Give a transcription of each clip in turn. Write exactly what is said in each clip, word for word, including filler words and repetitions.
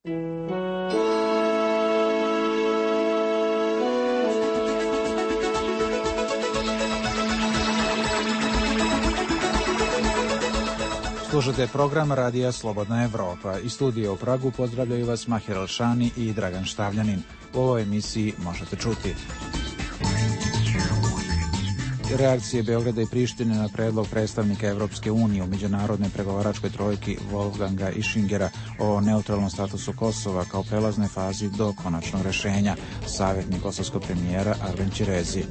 Slušate program Radija Slobodna Evropa. Iz studija u Pragu pozdravljaju vas Mahir Alšani i Dragan Štavljanin. U ovoj emisiji možete čuti reakcije Beograda i Prištine na predlog predstavnika Evropske unije u međunarodnoj pregovaračkoj trojki Wolfganga Ischingera o neutralnom statusu Kosova kao prelaznoj fazi do konačnog rešenja. Savjetnik kosovskog premijera Arben Ćirezi.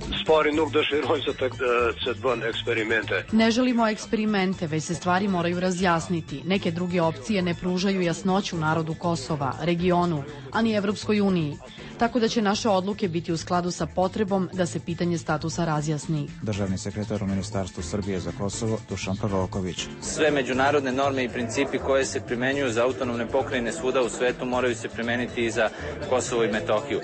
Ne želimo eksperimente, već se stvari moraju razjasniti. Neke druge opcije ne pružaju jasnoću narodu Kosova, regionu, a ni Evropskoj uniji. Tako da će naše odluke biti u skladu sa potrebom da se pitanje statusa razjasni. Državni sekretar u Ministarstvu Srbije za Kosovo Dušan Proroković. Sve međunarodne norme i principi koje se primenjuju za autonomne pokrajine svuda u svetu moraju se primeniti i za Kosovo i Metohiju.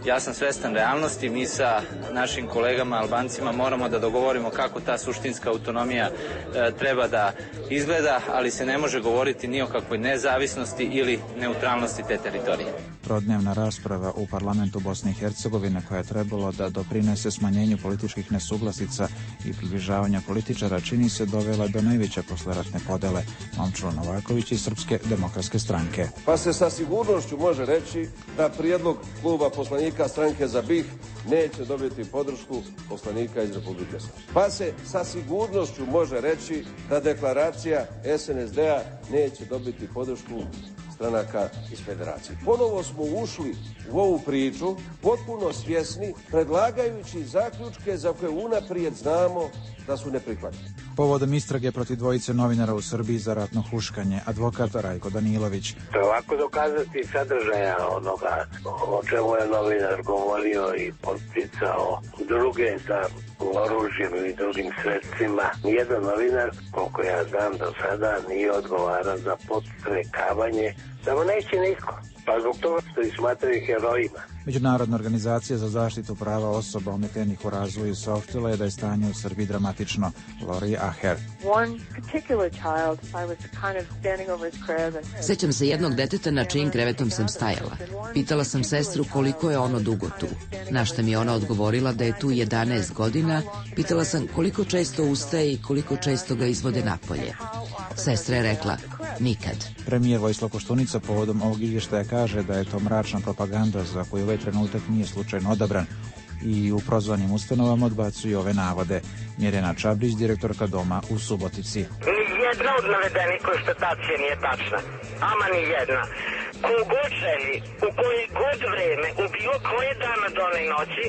Ja sam svestan realnosti, mi sa našim kolegama Albancima moramo da dogovorimo kako ta suštinska autonomija e, treba da izgleda, ali se ne može govoriti ni o kakvoj nezavisnosti ili neutralnosti te teritorije. Trodnevna rasprava u parlamentu Bosne i Hercegovine koja je trebalo da doprinese smanjenju političkih nesuglasica i približavanja političara čini se dovela do najveće posleratne podele. Momčilo Novaković iz Srpske demokratske stranke. Pa se sa sigurnošću može reći da prijedlog kluba poslanika stranke za BiH neće dobiti podršku poslanika iz Republike Srpske. Pa se sa sigurnošću može reći da deklaracija es en es de-a neće dobiti podršku stranaka iz federacije. Ponovo smo ušli u ovu priču potpuno svjesni, predlagajući zaključke za koje unaprijed znamo da su neprihvatljivi. Povodom istrage protiv dvojice novinara u Srbiji za ratno huškanje, advokat Rajko Danilović. To je ovako dokazati sadržaja onoga o čemu je novinar govorio i potpisao druge sa oružjem i drugim sredstvima. Nijedan novinar, koliko ja znam do sada, nije odgovaran za podstrekavanje, samo neće niko. Pa zbog toga što ih smatraju herojima. Međunarodna organizacija za zaštitu prava osoba ometenih u razvoju saopštila je da je stanje u Srbiji dramatično. Lori Aher. Sećam se jednog deteta na čijim krevetom sam stajala. Pitala sam sestru koliko je ono dugo tu. Na šta mi je ona odgovorila da je tu jedanaest godina. Pitala sam koliko često ustaje i koliko često ga izvode napolje. Sestra je rekla, nikad. Premijer Vojislav Koštunica povodom ovog izvještaja kaže da je to mračna propaganda za koju ovaj trenutak nije slučajno odabran i u prozvanim ustanovama odbacuju ove navode. Mirjana Čabrić, direktorka Doma u Subotici. Nijedna od navedenih konstatacija nije tačna, ama ni jedna. Kogod želi, u koje god vreme, u bilo koje dana done noći,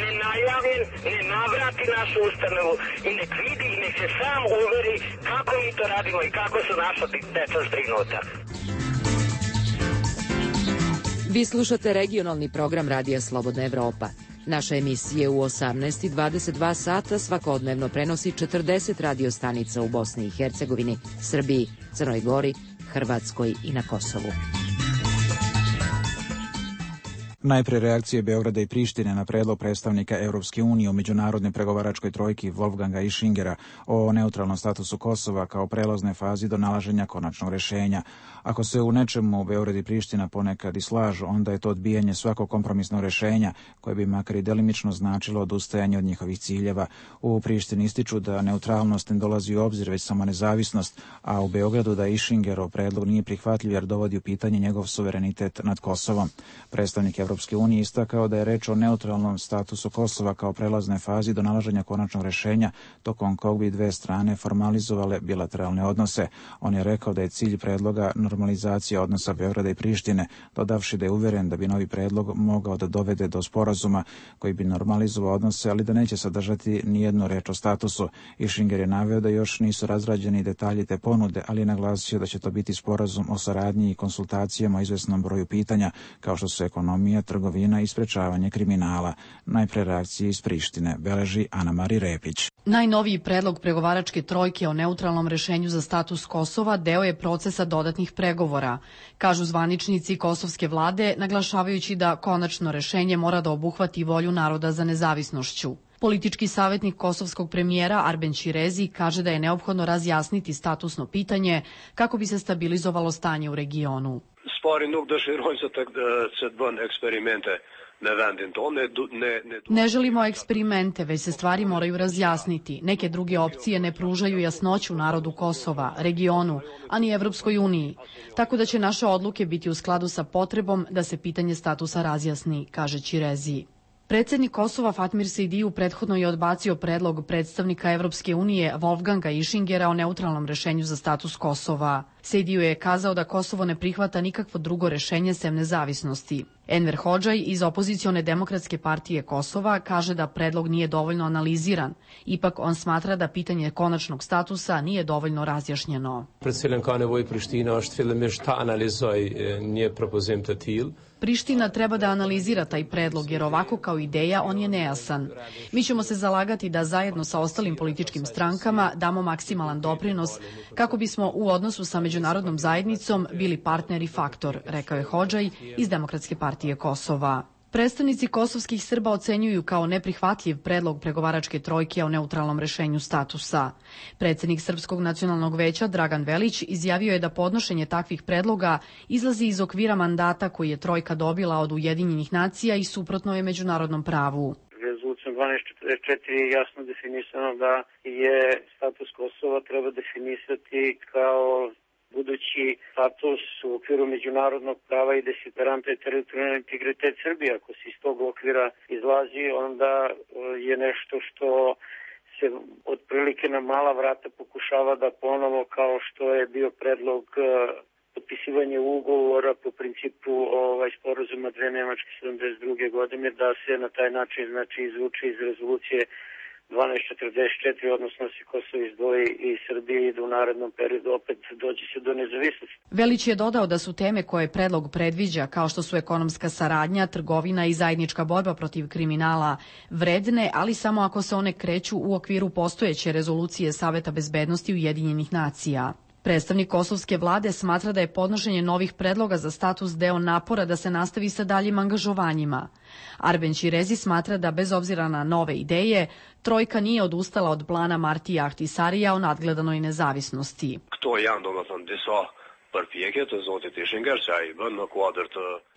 ne najavljen, ne navrati našu ustanovu i nek vidi i nek se sam uveri kako mi to radimo i kako su naša deca zbrinuta. Vi slušate regionalni program Radija Slobodna Evropa. Naša emisija u osamnaest i dvadeset dva sata svakodnevno prenosi četrdeset radio stanica u Bosni i Hercegovini, Srbiji, Crnoj Gori, Hrvatskoj i na Kosovu. Najpre reakcije Beograda i Prištine na predlog predstavnika Evropske unije u međunarodnoj pregovaračkoj trojki Wolfganga Ischingera o neutralnom statusu Kosova kao prelaznoj fazi do nalaženja konačnog rešenja. Ako se u nečemu Beograd i Priština ponekad i slažu, onda je to odbijanje svakog kompromisnog rešenja koje bi makar i delimično značilo odustajanje od njihovih ciljeva. U Prištini ističu da neutralnost ne dolazi u obzir već samo nezavisnost, a u Beogradu da Ischingerov predlog nije prihvatljiv jer dovodi u pitanje njegov suverenitet nad Kosovom. Predstavnik Evropske unije istakao da je reč o neutralnom statusu Kosova kao prelaznoj fazi do nalaženja konačnog rešenja, tokom kog bi dve strane formalizovale bilateralne odnose. On je rekao da je cilj predloga normalizacija odnosa Beograda i Prištine, dodavši da je uveren da bi novi predlog mogao da dovede do sporazuma koji bi normalizovao odnose, ali da neće sadržati nijednu reč o statusu. Ischinger je naveo da još nisu razrađeni detalji te ponude, ali je naglasio da će to biti sporazum o saradnji i konsultacijama o izvesnom broju pitanja, kao što su ekonomija, trgovina i sprečavanje kriminala. Najpre reakcije iz Prištine beleži Ana Mari Repić. Najnoviji predlog pregovaračke trojke o neutralnom rešenju za status Kosova deo je procesa dodatnih pregovora, kažu zvaničnici kosovske vlade, naglašavajući da konačno rešenje mora da obuhvati volju naroda za nezavisnošću. Politički savjetnik kosovskog premijera Arben Ćirezi kaže da je neophodno razjasniti statusno pitanje kako bi se stabilizovalo stanje u regionu. sparing nog dus gezet het van experimenten. Ne želimo eksperimente, već se stvari moraju razjasniti. Neke druge opcije ne pružaju jasnoću narodu Kosova, regionu, ani Evropskoj uniji. Tako da će naše odluke biti u skladu sa potrebom da se pitanje statusa razjasni, kaže Ćirezi. Predsednik Kosova Fatmir Sejdiju prethodno je odbacio predlog predstavnika Evropske unije Wolfganga Ischingera o neutralnom rešenju za status Kosova. Sejdiju je kazao da Kosovo ne prihvata nikakvo drugo rešenje sem nezavisnosti. Enver Hodžaj iz opozicione demokratske partije Kosova kaže da predlog nije dovoljno analiziran. Ipak on smatra da pitanje konačnog statusa nije dovoljno razjašnjeno. Priština treba da analizira taj predlog, jer ovako kao ideja on je nejasan. Mi ćemo se zalagati da zajedno sa ostalim političkim strankama damo maksimalan doprinos kako bismo u odnosu sa međunarodnom zajednicom bili partner i faktor, rekao je Hodžaj iz Demokratske partije Kosova. Predstavnici kosovskih Srba ocenjuju kao neprihvatljiv predlog pregovaračke trojke o neutralnom rešenju statusa. Predsednik Srpskog nacionalnog veća Dragan Velić izjavio je da podnošenje takvih predloga izlazi iz okvira mandata koji je trojka dobila od Ujedinjenih nacija i suprotno je međunarodnom pravu. Rezolucijom dvanaest četrdeset četiri je jasno definisano da je status Kosova treba definisati kao budući status u okviru međunarodnog prava i desideranta je teritorijalni integritet Srbije. Ako se iz tog okvira izlazi, onda je nešto što se otprilike na mala vrata pokušava da ponovo, kao što je bio predlog potpisivanje ugovora po principu ovaj, sporazuma dve Nemačke sedamdeset druge godine, da se na taj način znači, izvuče iz rezolucije dvanaest četrdeset četiri, odnosno se Kosovo izdvoji i Srbije i da u narednom periodu opet dođe se do nezavisnosti. Velić je dodao da su teme koje predlog predviđa, kao što su ekonomska saradnja, trgovina i zajednička borba protiv kriminala, vredne, ali samo ako se one kreću u okviru postojeće rezolucije Saveta bezbednosti Ujedinjenih nacija. Predstavnik kosovske vlade smatra da je podnošenje novih predloga za status deo napora da se nastavi sa daljim angažovanjima. Arben Ćirezi smatra da bez obzira na nove ideje, trojka nije odustala od plana Martija Ahtisarija o nadgledanoj nezavisnosti.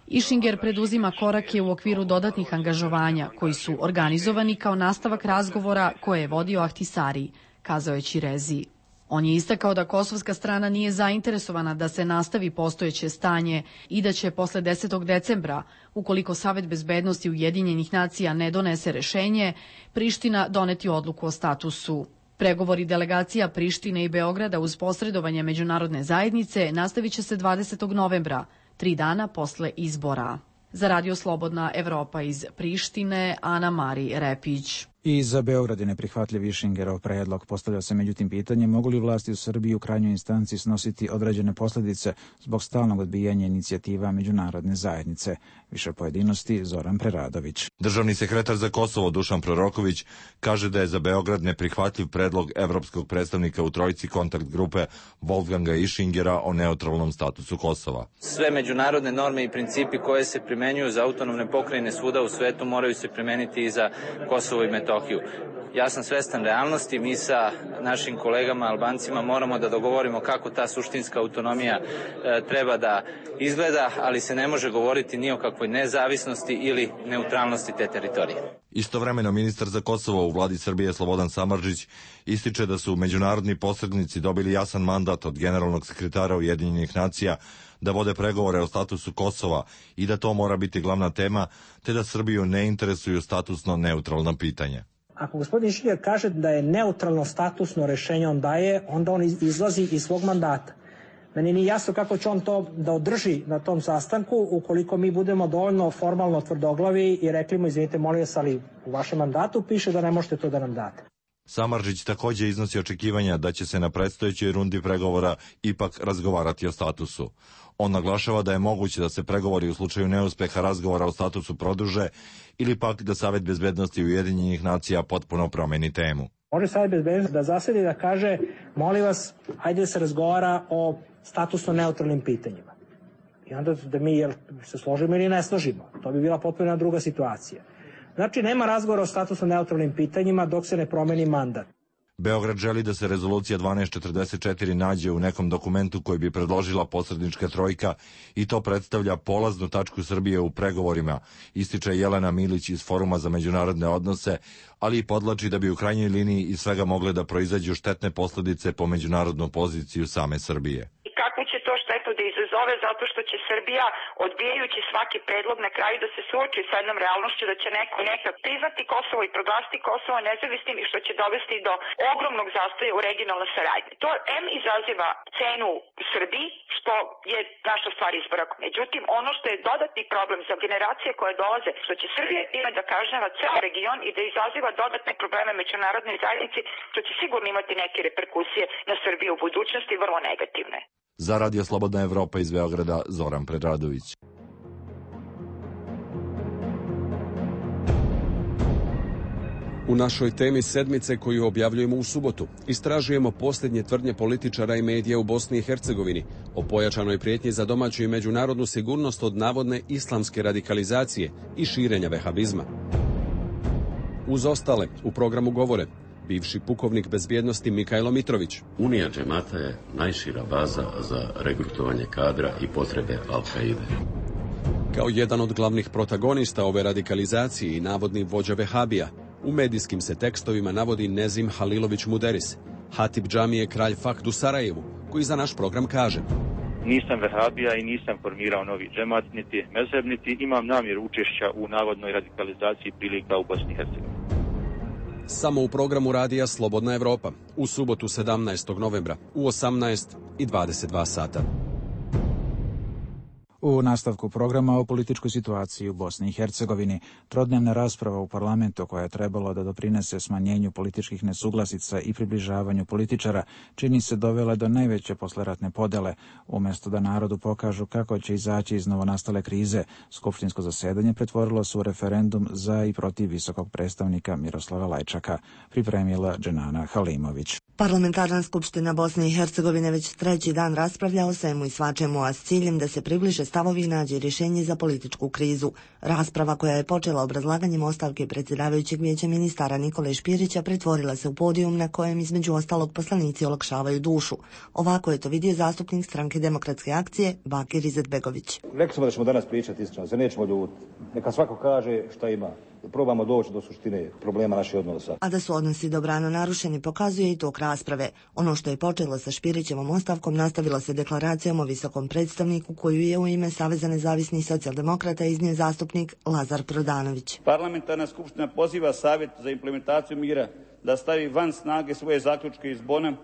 Ischinger preduzima korake u okviru dodatnih angažovanja koji su organizovani kao nastavak razgovora koje je vodio Ahtisari, kazao je Ćirezi. On je istakao da kosovska strana nije zainteresovana da se nastavi postojeće stanje i da će posle desetog decembra, ukoliko Savet bezbednosti Ujedinjenih nacija ne donese rešenje, Priština doneti odluku o statusu. Pregovori delegacija Prištine i Beograda uz posredovanje međunarodne zajednice nastavit će se dvadesetog novembra, tri dana posle izbora. Za Radio Slobodna Evropa iz Prištine, Ana Mari Repić. I za Beograd je neprihvatljiv Ischingerov predlog. Postavlja se međutim pitanje mogu li vlasti u Srbiji u krajnjoj instanci snositi određene posljedice zbog stalnog odbijanja inicijativa međunarodne zajednice. Više pojedinosti Zoran Preradović. Državni sekretar za Kosovo Dušan Proroković kaže da je za Beograd neprihvatljiv predlog evropskog predstavnika u trojici kontakt grupe Wolfganga Ischingera o neutralnom statusu Kosova. Sve međunarodne norme i principi koje se primenjuju za autonomne pokrajine svuda u svetu moraju se primeniti i za Kosovo i Metohiju. Ja sam svestan realnosti, mi sa našim kolegama Albancima moramo da dogovorimo kako ta suštinska autonomija e, treba da izgleda, ali se ne može govoriti ni o kakvoj nezavisnosti ili neutralnosti te teritorije. Istovremeno ministar za Kosovo u vladi Srbije Slobodan Samardžić ističe da su međunarodni posrednici dobili jasan mandat od generalnog sekretara Ujedinjenih nacija da vode pregovore o statusu Kosova i da to mora biti glavna tema, te da Srbiju ne interesuju statusno neutralna pitanja. Ako gospodin Išinger kaže da je neutralno statusno rešenje on daje, onda on izlazi iz svog mandata. Meni nije jasno kako će on to da održi na tom sastanku ukoliko mi budemo dovoljno formalno tvrdoglavi i rekli mu, izvinite, molim vas, ali u vašem mandatu piše da ne možete to da nam date. Samardžić takođe iznosi očekivanja da će se na predstojećoj rundi pregovora ipak razgovarati o statusu. On naglašava da je moguće da se pregovori u slučaju neuspeha razgovora o statusu produže ili pak da Savet bezbednosti Ujedinjenih nacija potpuno promeni temu. Može Savet bezbednosti da zasedi da kaže, molim vas, ajde da se razgovara o statusno neutralnim pitanjima. I onda da mi jel, se složimo ili ne složimo. To bi bila potpuno druga situacija. Znači, nema razgovora o statusno neutralnim pitanjima dok se ne promeni mandat. Beograd želi da se rezolucija dvanaest četrdeset četiri nađe u nekom dokumentu koji bi predložila posrednička trojka i to predstavlja polaznu tačku Srbije u pregovorima, ističe Jelena Milić iz Foruma za međunarodne odnose, ali i podlači da bi u krajnjoj liniji iz svega mogle da proizađu štetne posledice po međunarodnu poziciju same Srbije. Kakvu će to štetu da izazove, zato što će Srbija, odbijajući svaki predlog, na kraju da se suoči sa jednom realnošću da će neko nekad priznati Kosovo i proglasiti Kosovo nezavisnim i što će dovesti do ogromnog zastoja u regionalnoj saradnji. To em izaziva cenu u Srbiji, što je naša stvar izbora. Međutim, ono što je dodatni problem za generacije koje dolaze, što će Srbija time da kažnjava ceo region i da izaziva dodatne probleme međunarodnoj zajednici, što će sigurno imati neke reperkusije na Srbiju u budućnosti, vrlo negativne. Za Radio Slobodna Evropa iz Beograda, Zoran Predradović. U našoj temi sedmice koju objavljujemo u subotu, istražujemo posljednje tvrdnje političara i medija u Bosni i Hercegovini o pojačanoj prijetnji za domaću i međunarodnu sigurnost od navodne islamske radikalizacije i širenja vehabizma. Uz ostale, u programu govore bivši pukovnik bezbjednosti Mikajlo Mitrović. Unija džemata je najšira baza za regrutovanje kadra i potrebe Al-Kaide. Kao jedan od glavnih protagonista ove radikalizacije i navodni vođa vehabija, u medijskim se tekstovima navodi Nezim Halilović Muderis, hatib džamije Kralj Fahd u Sarajevu, koji za naš program kaže: Nisam vehabija i nisam formirao novi džemat, niti mezheb, niti imam namjeru učešća u navodnoj radikalizaciji prilika u Bosni i Hercegovini. Samo u programu radija Slobodna Evropa, u subotu sedamnaestog novembra, u osamnaest i dvadeset dva sata. U nastavku programa o političkoj situaciji u Bosni i Hercegovini, trodnevna rasprava u parlamentu koja je trebalo da doprinese smanjenju političkih nesuglasica i približavanju političara, čini se dovela do najveće posleratne podele. Umjesto da narodu pokažu kako će izaći iz novonastale krize, skupštinsko zasedanje pretvorilo se u referendum za i protiv visokog predstavnika Miroslava Lajčaka, pripremila Dženana Halimović. Parlamentarna skupština Bosne i Hercegovine već treći dan raspravlja o svemu i svačemu, a s ciljem da se približe stavovi i nađe rješenje za političku krizu. Rasprava koja je počela obrazlaganjem ostavke predsjedavajućeg vijeća ministara Nikole Špirića pretvorila se u podijum na kojem između ostalog poslanici olakšavaju dušu. Ovako je to vidio zastupnik stranke Demokratske akcije Bakir Izetbegović. Rekli smo da ćemo danas pričati iskreno, se nećemo ljutiti. Neka svako kaže šta ima. Probamo doći do suštine problema naših odnosa. A da su odnosi dobrano narušeni pokazuje i tok rasprave. Ono što je počelo sa Špirićevom ostavkom nastavilo se deklaracijom o visokom predstavniku koju je u ime Saveza nezavisnih socijaldemokrata iznio zastupnik Lazar Prodanović. Parlamentarna skupština poziva Savjet za implementaciju mira da stavi van snage svoje zaključke iz Bona,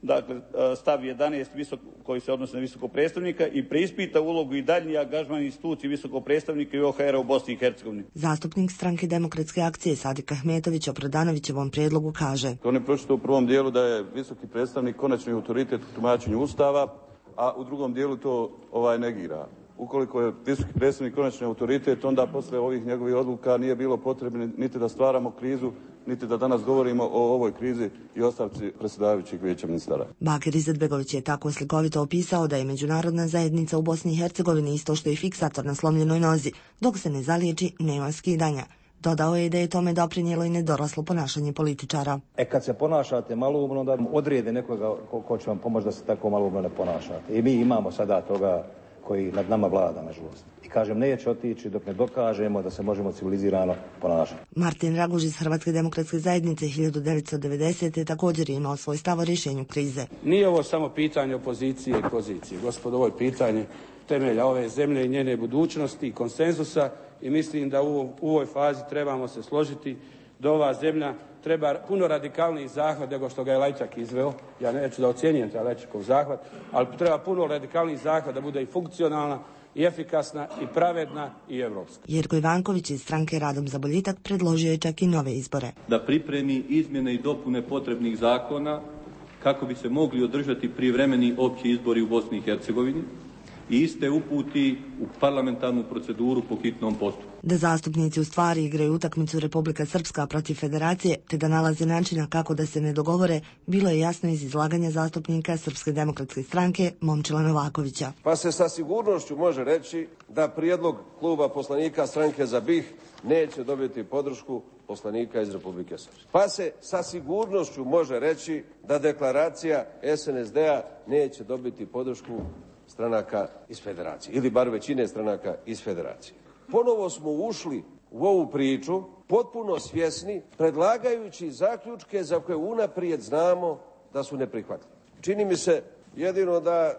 dakle stav jedanaest visok, koji se odnosi na visokog predstavnika i preispita ulogu i daljnji angažman instituciji visokog predstavnika i O H R-a u Bosni i Hercegovini. Zastupnik stranke Demokratske akcije Sadik Ahmetović o Prodanovićevom prijedlogu kaže: On je pročitao u prvom dijelu da je visoki predstavnik konačni autoritet u tumačenju Ustava, a u drugom dijelu to ovaj negira. Ukoliko je visoki predstavnik konačni autoritet, onda posle ovih njegovih odluka nije bilo potrebno niti da stvaramo krizu, niti da danas govorimo o ovoj krizi i ostavci predsjedavajućeg vijeća ministara. Bakir Izetbegović je tako slikovito opisao da je međunarodna zajednica u Bosni i Hercegovini isto što je fiksator na slomljenoj nozi, dok se ne zaliječi nema skidanja. Dodao je da je tome doprinijelo i nedoraslo ponašanje političara. E kad se ponašate maloumno, onda odrijede nekoga ko, ko će vam pomoći da se tako maloumno ne ponašate. I mi imamo sada toga koji nad nama vlada, nažalost. I kažem, neće otići dok ne dokažemo da se možemo civilizirano ponašati. Martin Raguž iz Hrvatske demokratske zajednice hiljadu devetsto devedesete. također je imao svoj stav o rješenju krize. Nije ovo samo pitanje opozicije i pozicije. Gospodo, ovo je pitanje temelja ove zemlje i njene budućnosti i konsenzusa i mislim da u, u ovoj fazi trebamo se složiti da ova zemlja treba puno radikalniji zahvat nego što ga je Lajčak izveo. Ja neću da ocjenjujem taj Lajčakov zahvat, ali treba puno radikalniji zahvat da bude i funkcionalna, i efikasna, i pravedna, i evropska. Jerko Ivanković iz stranke Radom za boljitak predložio je čak i nove izbore. Da pripremi izmjene i dopune potrebnih zakona kako bi se mogli održati prijevremeni opći izbori u Bosni i Hercegovini i iste uputi u parlamentarnu proceduru po hitnom postupku. Da zastupnici u stvari igraju utakmicu Republika Srpska protiv Federacije, te da nalaze načina kako da se ne dogovore, bilo je jasno iz izlaganja zastupnika Srpske demokratske stranke Momčila Novakovića. Pa se sa sigurnošću može reći da prijedlog kluba poslanika stranke za BiH neće dobiti podršku poslanika iz Republike Srpske. Pa se sa sigurnošću može reći da deklaracija S N S D-a neće dobiti podršku stranaka iz federacije, ili bar većine stranaka iz federacije. Ponovo smo ušli u ovu priču potpuno svjesni, predlagajući zaključke za koje unaprijed znamo da su neprihvatljivi. Čini mi se jedino da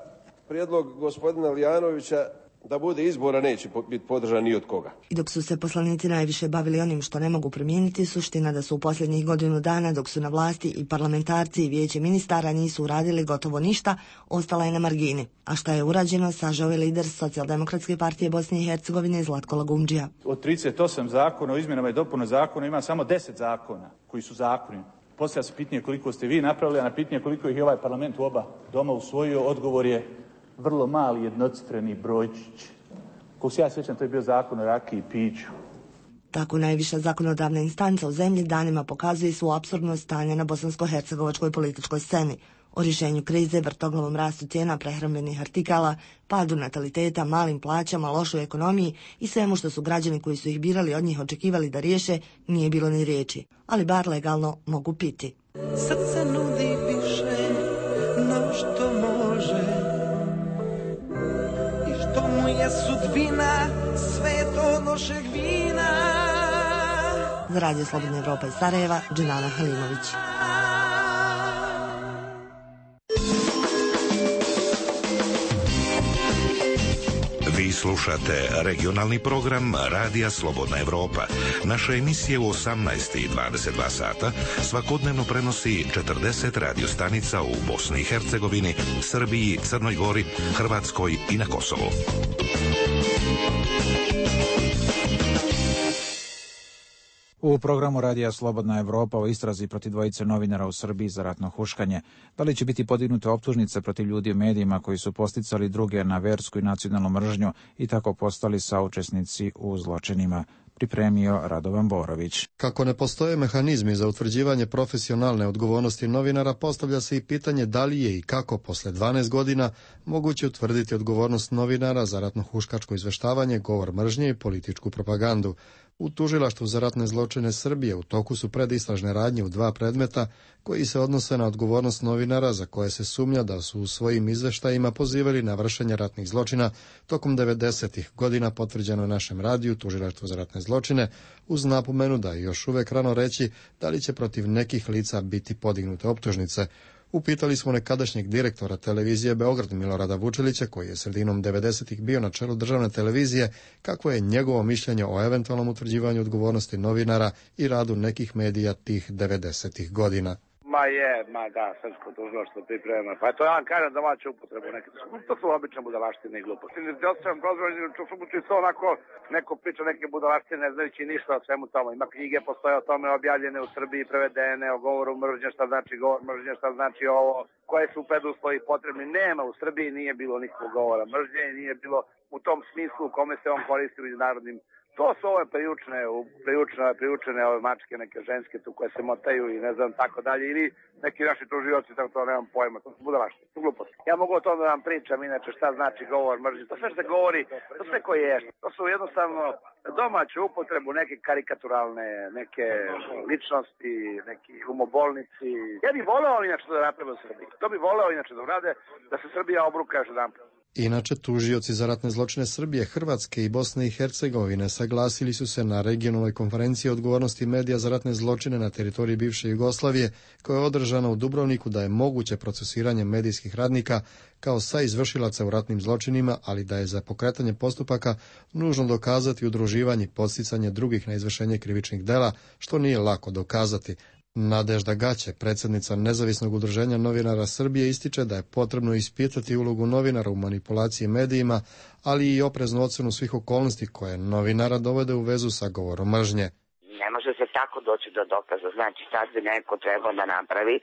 prijedlog gospodina Lijanovića da bude izbora neće biti podržan ni od koga. I dok su se poslanici najviše bavili onim što ne mogu promijeniti, suština da su u posljednjih godinu dana, dok su na vlasti i parlamentarci i vijeće ministara nisu uradili gotovo ništa, ostala je na margini. A šta je urađeno, sažao je lider Socijaldemokratske partije Bosne i Hercegovine Zlatko Lagundžija. Od trideset osam zakona o izmjenama i dopuna zakona ima samo deset zakona koji su zakoni. Poslije se pitanje koliko ste vi napravili, a na pitanje koliko ih je ovaj parlament u oba doma usvojio, odgovor je vrlo mali jednocifreni brojčić. Kako se ja sjećam, to je bio zakon o rakiji i piću. Tako najviša zakonodavna instanca u zemlji danima pokazuje svu apsurdnost stanja na bosansko-hercegovačkoj političkoj sceni. O rješenju krize, vrtoglavom rastu cijena prehrambenih artikala, padu nataliteta, malim plaćama, lošoj ekonomiji i svemu što su građani koji su ih birali od njih očekivali da riješe, nije bilo ni riječi. Ali bar legalno mogu piti. Srce nudi više no što može i što mu je sudbina sve to lošeg vina. Za Radio Slobodna Evropa iz Sarajeva, Dženana Halimović. Vi slušate regionalni program Radija Slobodna Evropa. Naše emisije u osamnaest i dvadeset dva sata svakodnevno prenosi četrdeset radiostanica u Bosni i Hercegovini, Srbiji, Crnoj Gori, Hrvatskoj i na Kosovu. U programu Radija Slobodna Evropa o istrazi protiv dvojice novinara u Srbiji za ratno huškanje. Da li će biti podignute optužnice protiv ljudi u medijima koji su posticali druge na versku i nacionalnu mržnju i tako postali saučesnici u zločinima? Pripremio Radovan Borović. Kako ne postoje mehanizmi za utvrđivanje profesionalne odgovornosti novinara, postavlja se i pitanje da li je i kako posle dvanaest godina moguće utvrditi odgovornost novinara za ratno huškačko izveštavanje, govor mržnje i političku propagandu. U tužilaštvu za ratne zločine Srbije u toku su predistražne radnje u dva predmeta koji se odnose na odgovornost novinara za koje se sumnja da su u svojim izveštajima pozivali na vršenje ratnih zločina tokom devedesetih godina, potvrđeno je našem radiju tužilaštvu za ratne zločine, uz napomenu da je još uvek rano reći da li će protiv nekih lica biti podignute optužnice. Upitali smo nekadašnjeg direktora televizije Beograd Milorada Vučelića, koji je sredinom devedesetih bio na čelu državne televizije, kako je njegovo mišljenje o eventualnom utvrđivanju odgovornosti novinara i radu nekih medija tih devedesetih godina. Ma je, ma da, srpsko tužilaštvo priprema. Pa to ja vam kažem domaću upotrebu neke. To su obične budalaštine i gluposti. Ne osjećam prozvanje, to onako neko priča neke budalaštine ne znajući ništa o svemu tomu. Ima knjige, postoje o tome objavljene u Srbiji, prevedene, o govoru mržnje, šta znači govor mržnje, šta znači ovo, koje su preduslovi potrebni. Nema, u Srbiji nije bilo nikakvog govora mržnje i nije bilo u tom smislu u kome se on koristi u međunarodnim. To su ove priučne, priučne, priučene ove mačke, neke ženske tu koje se motaju i ne znam tako dalje, ili neki naši tužioci, tako to nemam pojma, to su budalaštine, to su gluposti. Ja mogu o tome da vam pričam, inače šta znači govor mržnje, to sve što se govori, to sve koje je, to su jednostavno domaću upotrebu, neke karikaturalne, neke ličnosti, neki umobolnici. Ja bih voleo inače da naprave u Srbiji, to bih voleo inače da urade, da se Srbija obruka još jedan. Inače, tužioci za ratne zločine Srbije, Hrvatske i Bosne i Hercegovine saglasili su se na regionalnoj konferenciji odgovornosti medija za ratne zločine na teritoriji bivše Jugoslavije, koja je održana u Dubrovniku, da je moguće procesiranje medijskih radnika kao saizvršilaca u ratnim zločinima, ali da je za pokretanje postupaka nužno dokazati udruživanje i podsticanje drugih na izvršenje krivičnih dela, što nije lako dokazati. Nadežda Gaće, predsjednica Nezavisnog udruženja novinara Srbije, ističe da je potrebno ispitati ulogu novinara u manipulaciji medijima, ali i opreznu ocenu svih okolnosti koje novinara dovode u vezu sa govorom mržnje. Ne može se tako doći do dokaza. Znači, sad bi neko trebao da napravi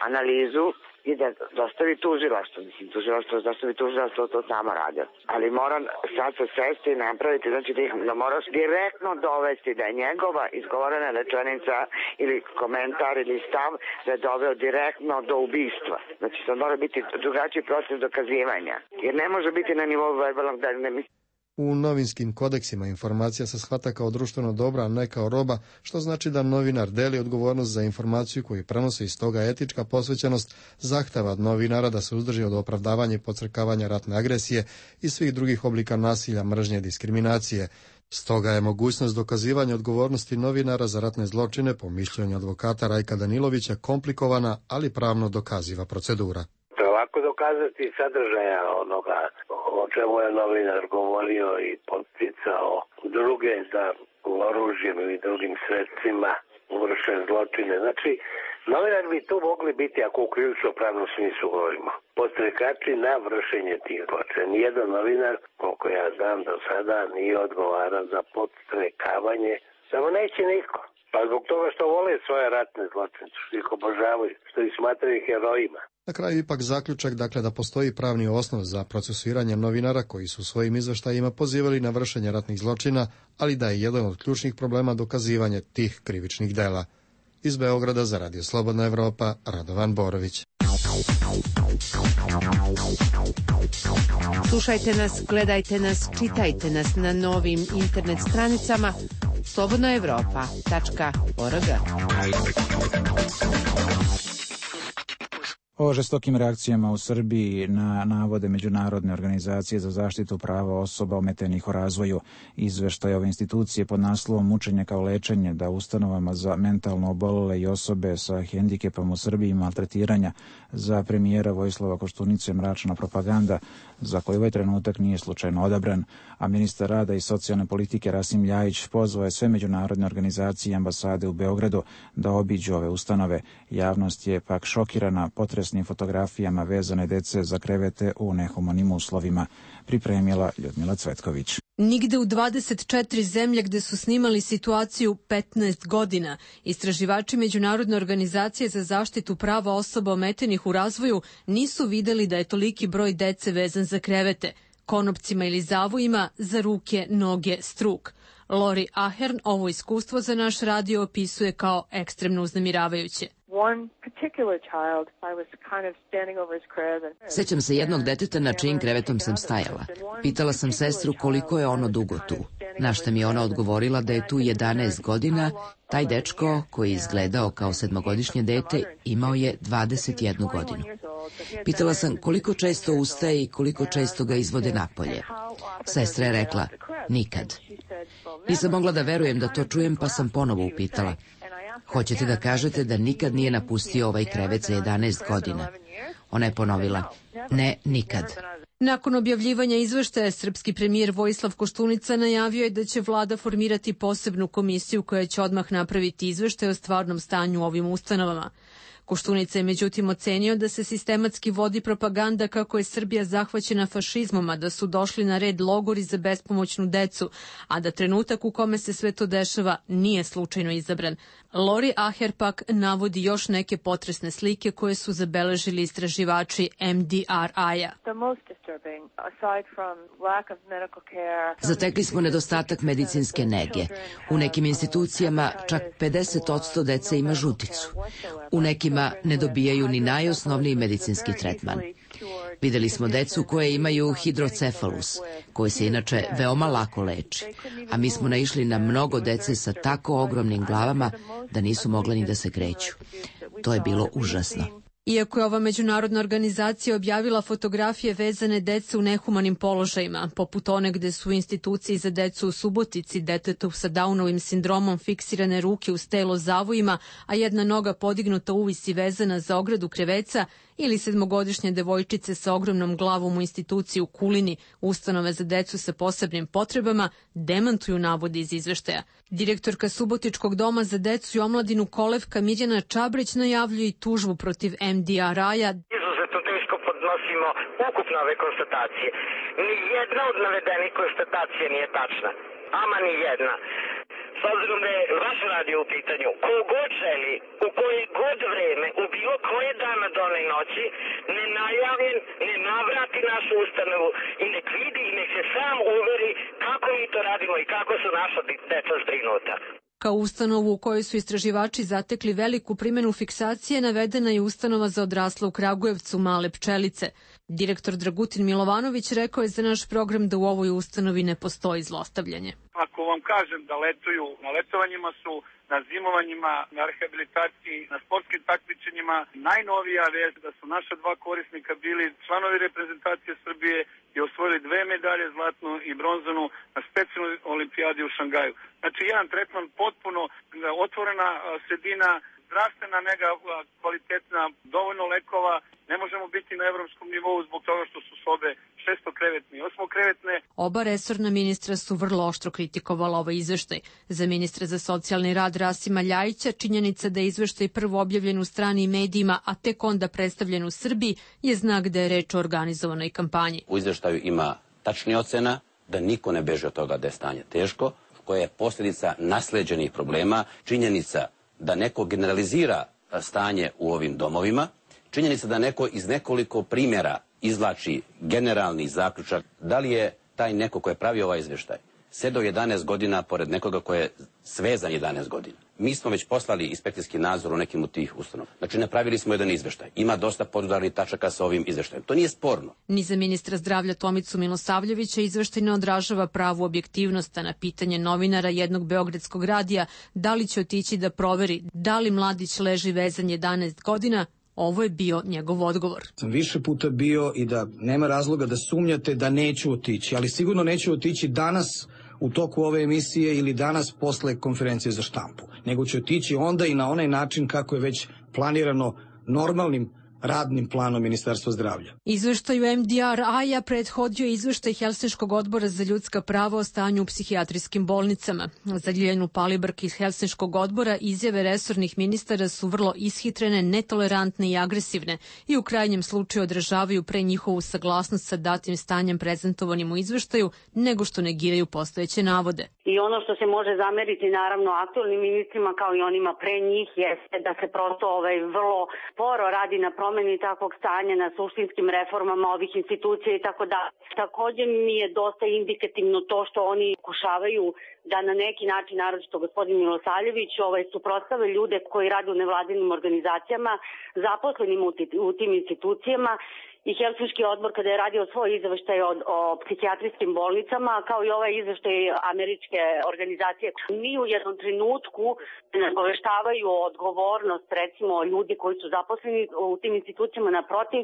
analizu i da dostavi tužilaštvo. Mislim, tužilaštvo, dostavi tužilaštvo, to samo radi. Ali mora sad se svesti i napraviti, znači da, ih, da moraš direktno dovesti da je njegova izgovorena rečenica ili komentar ili stav da je doveo direktno do ubistva. Znači, sad mora biti drugačiji proces dokazivanja. Jer ne može biti na nivou verbalnog da ne misli. U novinskim kodeksima informacija se shvata kao društveno dobra, a ne kao roba, što znači da novinar deli odgovornost za informaciju koju prenosi, iz toga etička posvećenost zahteva od novinara da se uzdrži od opravdavanja i podcrkavanja ratne agresije i svih drugih oblika nasilja, mržnje i diskriminacije. Stoga je mogućnost dokazivanja odgovornosti novinara za ratne zločine, po mišljenju advokata Rajka Danilovića, komplikovana, ali pravno dokaziva procedura. Lako dokazati sadržaja onoga o čemu je novinar govorio i podsticao druge da oružjem ili drugim sredstvima vrše zločine. Znači, novinar bi tu mogli biti, ako u krivično-pravnom smislu govorimo, podstrekači na vršenje tih zločina. Nijedan novinar, koliko ja znam do sada, nije odgovaran za podstrekavanje, samo neće niko. Pa zbog toga što vole svoje ratne zločine, što ih obožavaju, što ih smatraju herojima. Na kraju ipak zaključak, dakle, da postoji pravni osnov za procesuiranje novinara koji su svojim izveštajima pozivali na vršenje ratnih zločina, ali da je jedan od ključnih problema dokazivanje tih krivičnih dela. Iz Beograda za Radio Slobodna Evropa, Radovan Borović. Slušajte nas, gledajte nas, čitajte nas na novim internet stranicama slobodna evropa tačka org. O žestokim reakcijama u Srbiji na navode Međunarodne organizacije za zaštitu prava osoba ometenih u razvoju. Izveštaj ove institucije pod naslovom Mučenje kao lečenje, da ustanovama za mentalno obolele i osobe sa hendikepom u Srbiji i maltretiranja, za premijera Vojislava Koštunice mračna propaganda, za koju ovaj trenutak nije slučajno odabran, a ministar rada i socijalne politike Rasim Ljajić pozvao je sve međunarodne organizacije i ambasade u Beogradu da obiđu ove ustanove. Javnost je pak šokirana potresnim fotografijama vezane dece za krevete u nehumanim uslovima. Pripremila Ljudmila Cvetković. Nigde u dvadeset četiri zemlje gde su snimali situaciju petnaest godina, istraživači Međunarodne organizacije za zaštitu prava osoba ometenih u razvoju nisu videli da je toliki broj dece vezan za krevete, konopcima ili zavojima, za ruke, noge, struk. Lori Ahern ovo iskustvo za naš radio opisuje kao ekstremno uznemiravajuće. Sećam se jednog deteta na čijim krevetom sam stajala. Pitala sam sestru koliko je ono dugo tu. Na šta mi je ona odgovorila da je tu jedanaest godina. Taj dečko, koji je izgledao kao sedmogodišnje dete, imao je dvadeset jednu godinu. Pitala sam koliko često ustaje i koliko često ga izvode napolje. Sestra je rekla, nikad. Nisam mogla da verujem da to čujem, pa sam ponovo upitala. Hoćete da kažete da nikad nije napustio ovaj krevet za jedanaest godina? Ona je ponovila, ne, nikad. Nakon objavljivanja izveštaja, srpski premijer Vojislav Koštunica najavio je da će vlada formirati posebnu komisiju koja će odmah napraviti izveštaj o stvarnom stanju u ovim ustanovama. Koštunica je međutim ocenio da se sistematski vodi propaganda kako je Srbija zahvaćena fašizmom, a da su došli na red logori za bespomoćnu decu, a da trenutak u kome se sve to dešava nije slučajno izabran. Lori Aher pak navodi još neke potresne slike koje su zabeležili istraživači M D R I-a. Zatekli smo nedostatak medicinske nege. U nekim institucijama čak pedeset posto dece ima žuticu. U nekima ne dobijaju ni najosnovniji medicinski tretman. Videli smo decu koje imaju hidrocefalus, koji se inače veoma lako leči, a mi smo naišli na mnogo dece sa tako ogromnim glavama da nisu mogla ni da se kreću. To je bilo užasno. Iako je ova međunarodna organizacija objavila fotografije vezane dece u nehumanim položajima, poput one gde su u instituciji za decu u Subotici detetu sa Downovim sindromom fiksirane ruke uz telo zavojima, a jedna noga podignuta uvis i vezana za ogradu kreveca, ili sedmogodišnje devojčice sa ogromnom glavom u instituciji u Kulini, ustanove za decu sa posebnim potrebama, demantuju navode iz izveštaja. Direktorka Subotičkog doma za decu i omladinu Kolevka Mirjana Čabrić najavljuje i tužbu protiv M D R I-a. Izuzetno teško podnosimo ukupno ove konstatacije. Ni jedna od navedenih konstatacija nije tačna. Ama ni jedna. S obzirom da je vaš radio u pitanju, ko god želi, u koje god vreme, u bilo koje dana done i noći, nenajavljen, ne navrati našu ustanovu i nek vidi i nek se sam uveri kako mi to radimo i kako su naša deca zbrinuta. Kao ustanovu u kojoj su istraživači zatekli veliku primjenu fiksacije navedena je ustanova za odrasle u Kragujevcu Male pčelice. Direktor Dragutin Milovanović rekao je za naš program da u ovoj ustanovi ne postoji zlostavljanje. Ako vam kažem da letuju, na letovanjima su, na zimovanjima, na rehabilitaciji, na sportskim takmičenjima, najnovija vest da su naša dva korisnika bili članovi reprezentacije Srbije i osvojili dve medalje, zlatnu i bronzanu, na specijalnoj olimpijadi u Šangaju. Znači jedan tretman potpuno otvorena sredina, zdravstvena nega kvalitetna, dovoljno lekova, ne možemo biti na evropskom nivou zbog toga što su sobe šestokrevetne i osmokrevetne. Oba resorna ministra su vrlo oštro kritikovala ovaj izveštaj. Za ministra za socijalni rad Rasima Ljajića činjenica da je izveštaj prvo objavljen u stranim medijima, a tek onda predstavljen u Srbiji, je znak da je reč o organizovanoj kampanji. U izveštaju ima tačnih ocena, da niko ne beže od toga da je stanje teško, koja je posljedica nasleđenih problema, činjenica da neko generalizira stanje u ovim domovima, činjenica da neko iz nekoliko primjera izvlači generalni zaključak, da li je taj neko ko je pravio ovaj izvještaj sedao jedanaest godina pored nekoga ko je svezan jedanaest godina. Mi smo već poslali inspekcijski nadzor u nekim od tih ustanova. Znači, napravili smo jedan izvještaj. Ima dosta podudarnih tačaka sa ovim izvještajem. To nije sporno. Ni za ministra zdravlja Tomicu Milosavljevića izveštaj ne odražava pravu objektivnost, a na pitanje novinara jednog beogradskog radija da li će otići da proveri da li mladić leži vezan jedanaest godina, ovo je bio njegov odgovor. Sam više puta bio i da nema razloga da sumnjate da neću otići, ali sigurno neću otići danas u toku ove emisije ili danas posle konferencije za štampu, nego će otići onda i na onaj način kako je već planirano normalnim radnim planom Ministarstva zdravlja. Izveštaju M D R A-ja prethodio izveštaj Helsinškog odbora za ljudska prava o stanju u psihijatrijskim bolnicama. Za Ljiljanu Palibrk iz Helsinškog odbora izjave resornih ministara su vrlo ishitrene, netolerantne i agresivne i u krajnjem slučaju odražavaju pre njihovu saglasnost sa datim stanjem prezentovanim u izveštaju nego što negiraju postojeće navode. I ono što se može zameriti naravno aktualnim ministrima kao i onima pre njih jeste da se prosto ovaj vrlo sporo radi na promeni takvog stanja, na suštinskim reformama ovih institucija i tako da. Također mi je dosta indikativno to što oni pokušavaju da na neki način, naročito gospodin Milosavljević, ovaj, suprotstave ljude koji rade u nevladinim organizacijama, zaposlenim u tim institucijama. I Helsinški odbor kada je radio svoj izveštaj o, o psihijatrijskim bolnicama, kao i ovaj izveštaj američke organizacije, ni u jednom trenutku ne obaveštavaju odgovornost, recimo, ljudi koji su zaposleni u tim institucijama. Naprotiv,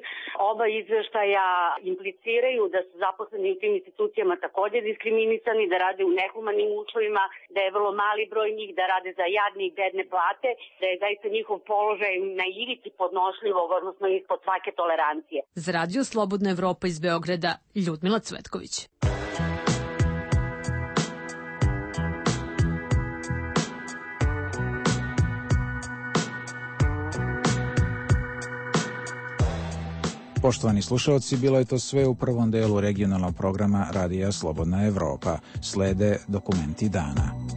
oba izveštaja impliciraju da su zaposleni u tim institucijama također diskriminisani, da rade u nehumanim uslovima, da je vrlo mali broj njih, da rade za jadne i bedne plate, da je zaista njihov položaj na ivici podnošljivog, odnosno ispod svake tolerancije. Za Radio Slobodna Evropa iz Beograda, Ljudmila Cvetković. Poštovani slušalci, bilo je to sve u prvom delu regionalnog programa Radija Slobodna Evropa. Slede dokumenti dana.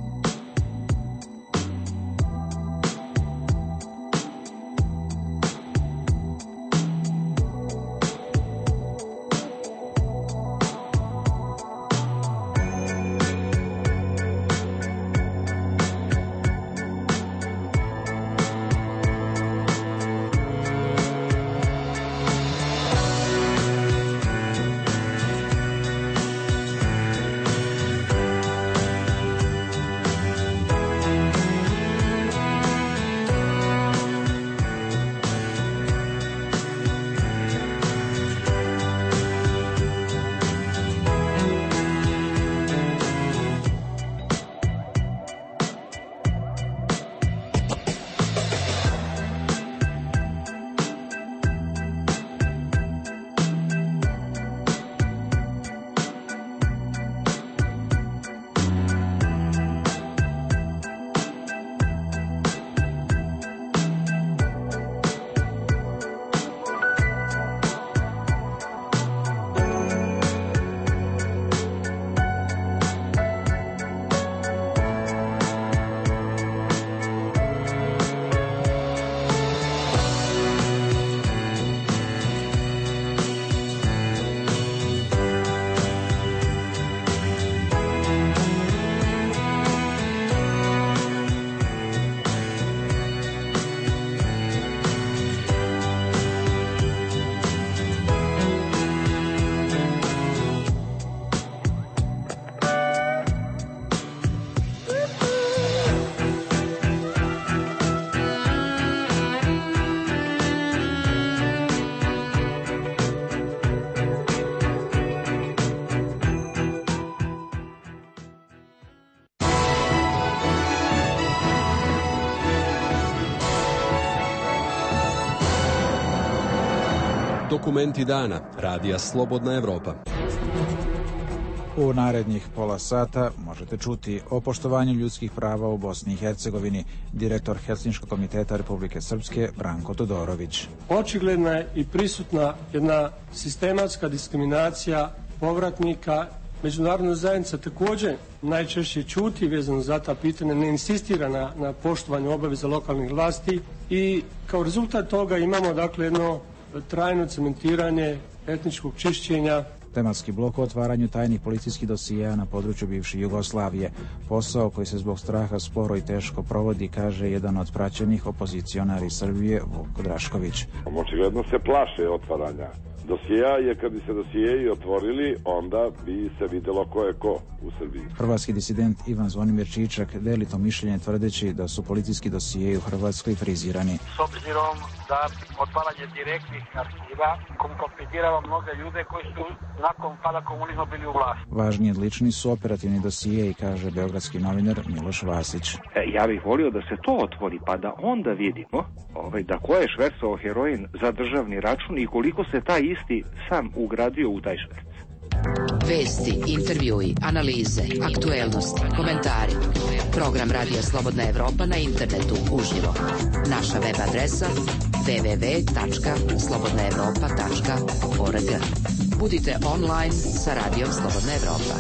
Dokumenti dana Radija Slobodna Evropa. U narednih pola sata možete čuti o poštovanju ljudskih prava u Bosni i Hercegovini, direktor Helsinškog komiteta Republike Srpske Branko Todorović. Očigledna je i prisutna jedna sistematska diskriminacija povratnika. Međunarodna zajednica također najčešće ćuti vezano za ta pitanja, ne insistira na, na poštovanju obaveza lokalnih vlasti i kao rezultat toga imamo dakle jedno trajno cementiranje etničkog čišćenja. Tematski blok o otvaranju tajnih policijskih dosijeja na području bivše Jugoslavije. Posao koji se zbog straha sporo i teško provodi, kaže jedan od praćenih opozicionari Srbije, Vuk Drašković. Očigledno se plaše otvaranja dosijeja, jer kad bi se dosijeji otvorili, onda bi se vidjelo ko je ko u Srbiji. Hrvatski disident Ivan Zvonimir Čičak deli to mišljenje tvrdeći da su policijski dosijeji u Hrvatskoj frizirani. S obzirom da otvaranje direktnih arhiva kompromitirava mnoge ljude koji su nakon pada komunizma bili u vlasti. Važni i odlični su operativni dosijeji, kaže beogradski novinar Miloš Vasić. E, ja bih volio da se to otvori, pa da onda vidimo ovaj, da ko je švercao heroin za državni račun i koliko se taj isti sam ugradio u taj šverc. Vesti, intervjui, analize, aktuelnosti, komentari. Program Radija Slobodna Evropa na internetu uživo. Naša web adresa w w w tačka slobodna evropa tačka org. Budite online sa Radijom Slobodna Evropa.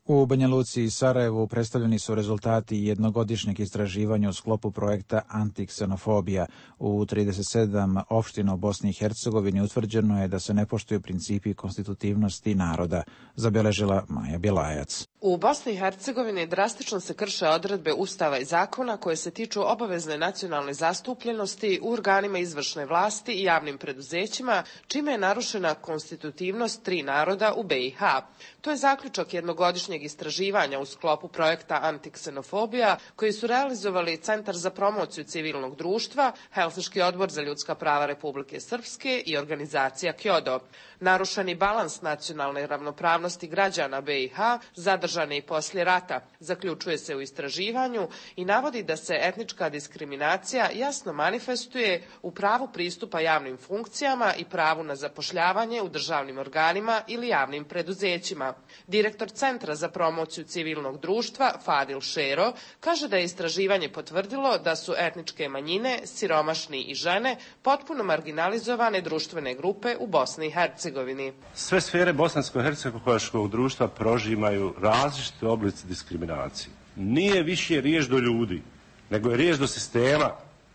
U Banja Luci i Sarajevu predstavljeni su rezultati jednogodišnjeg istraživanja u sklopu projekta Antiksenofobija. U trideset sedam opština u Bosni i Hercegovini utvrđeno je da se ne poštuju principi konstitutivnosti naroda, zabeležila Maja Bjelajac. U Bosni i Hercegovini drastično se krše odredbe Ustava i zakona koje se tiču obavezne nacionalne zastupljenosti u organima izvršne vlasti i javnim preduzećima, čime je narušena konstitutivnost tri naroda u be i ha. To je zaključak jednogodišnjeg istraživanja u sklopu projekta Antiksenofobija koji su realizovali Centar za promociju civilnog društva, Helsinški odbor za ljudska prava Republike Srpske i organizacija Kjodo. Narušeni balans nacionalne ravnopravnosti građana be i ha zadržan je i poslije rata, zaključuje se u istraživanju i navodi da se etnička diskriminacija jasno manifestuje u pravu pristupa javnim funkcijama i pravu na zapošljavanje u državnim organima ili javnim preduzećima. Direktor Centra za promociju civilnog društva Fadil Šero kaže da je istraživanje potvrdilo da su etničke manjine, siromašni i žene potpuno marginalizovane društvene grupe u Bosni i Hercegovini. Sve sfere bosansko-hercegovačkog društva prožimaju različite oblici diskriminacije. Nije više riječ do ljudi, nego je riječ do sistema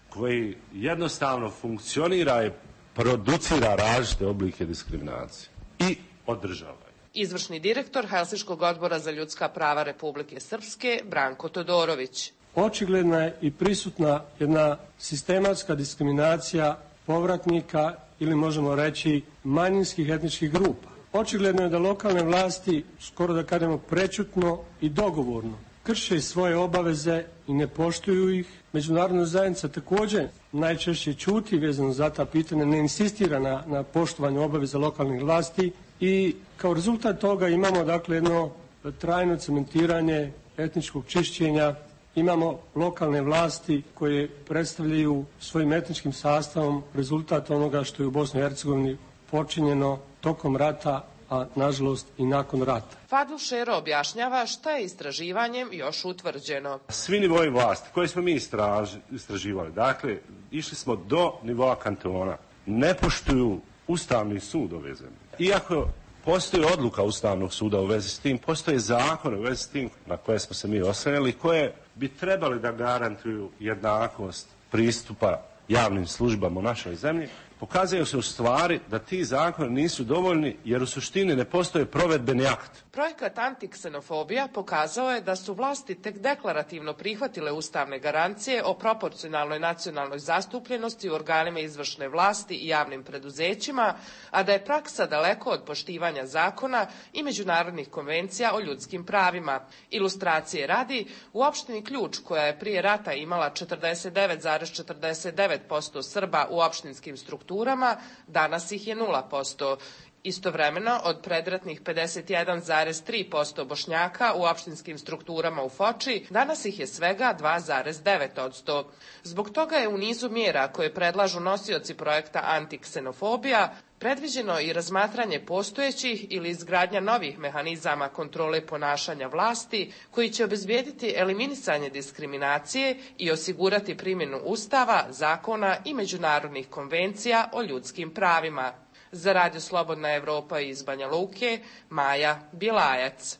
koji jednostavno funkcionira i producira različite oblike diskriminacije i održava. Izvršni direktor Helsinškog odbora za ljudska prava Republike Srpske Branko Todorović. Očigledna je i prisutna jedna sistematska diskriminacija povratnika ili možemo reći manjinskih etničkih grupa. Očigledno je da lokalne vlasti, skoro da kažemo prečutno i dogovorno, krše svoje obaveze i ne poštuju ih. Međunarodna zajednica također najčešće ćuti vezano za ta pitanja, ne insistira na, na poštovanju obaveza lokalnih vlasti i kao rezultat toga imamo dakle jedno trajno cementiranje etničkog čišćenja. Imamo lokalne vlasti koje predstavljaju svojim etničkim sastavom rezultat onoga što je u Bosni i Hercegovini počinjeno tokom rata, a nažalost i nakon rata. Fadil Šero objašnjava šta je istraživanjem još utvrđeno. Svi nivoji vlasti koje smo mi istraž, istraživali, dakle, išli smo do nivoa kantona, ne poštuju Ustavni sud ove zemlje. Iako postoji odluka Ustavnog suda u vezi s tim, postoje zakone u vezi s tim na koje smo se mi oslanjali, koje bi trebali da garantuju jednakost pristupa javnim službama u našoj zemlji. Pokazuje se u stvari da ti zakoni nisu dovoljni jer u suštini ne postoje provedbeni akt. Projekat Antiksenofobija pokazao je da su vlasti tek deklarativno prihvatile ustavne garancije o proporcionalnoj nacionalnoj zastupljenosti u organima izvršne vlasti i javnim preduzećima, a da je praksa daleko od poštivanja zakona i međunarodnih konvencija o ljudskim pravima. Ilustracije radi, u opštini Ključ, koja je prije rata imala četrdeset devet zarez četrdeset devet posto Srba u opštinskim strukturama, danas ih je nula posto. Istovremeno, od predratnih pedeset jedan zarez tri posto Bošnjaka u opštinskim strukturama u Foči, danas ih je svega dva zarez devet posto. Zbog toga je u nizu mjera koje predlažu nosioci projekta Antiksenofobija predviđeno i razmatranje postojećih ili izgradnja novih mehanizama kontrole ponašanja vlasti koji će obezbijediti eliminisanje diskriminacije i osigurati primjenu Ustava, zakona i međunarodnih konvencija o ljudskim pravima. Za Radio Slobodna Evropa iz Banja Luke, Maja Bilajac.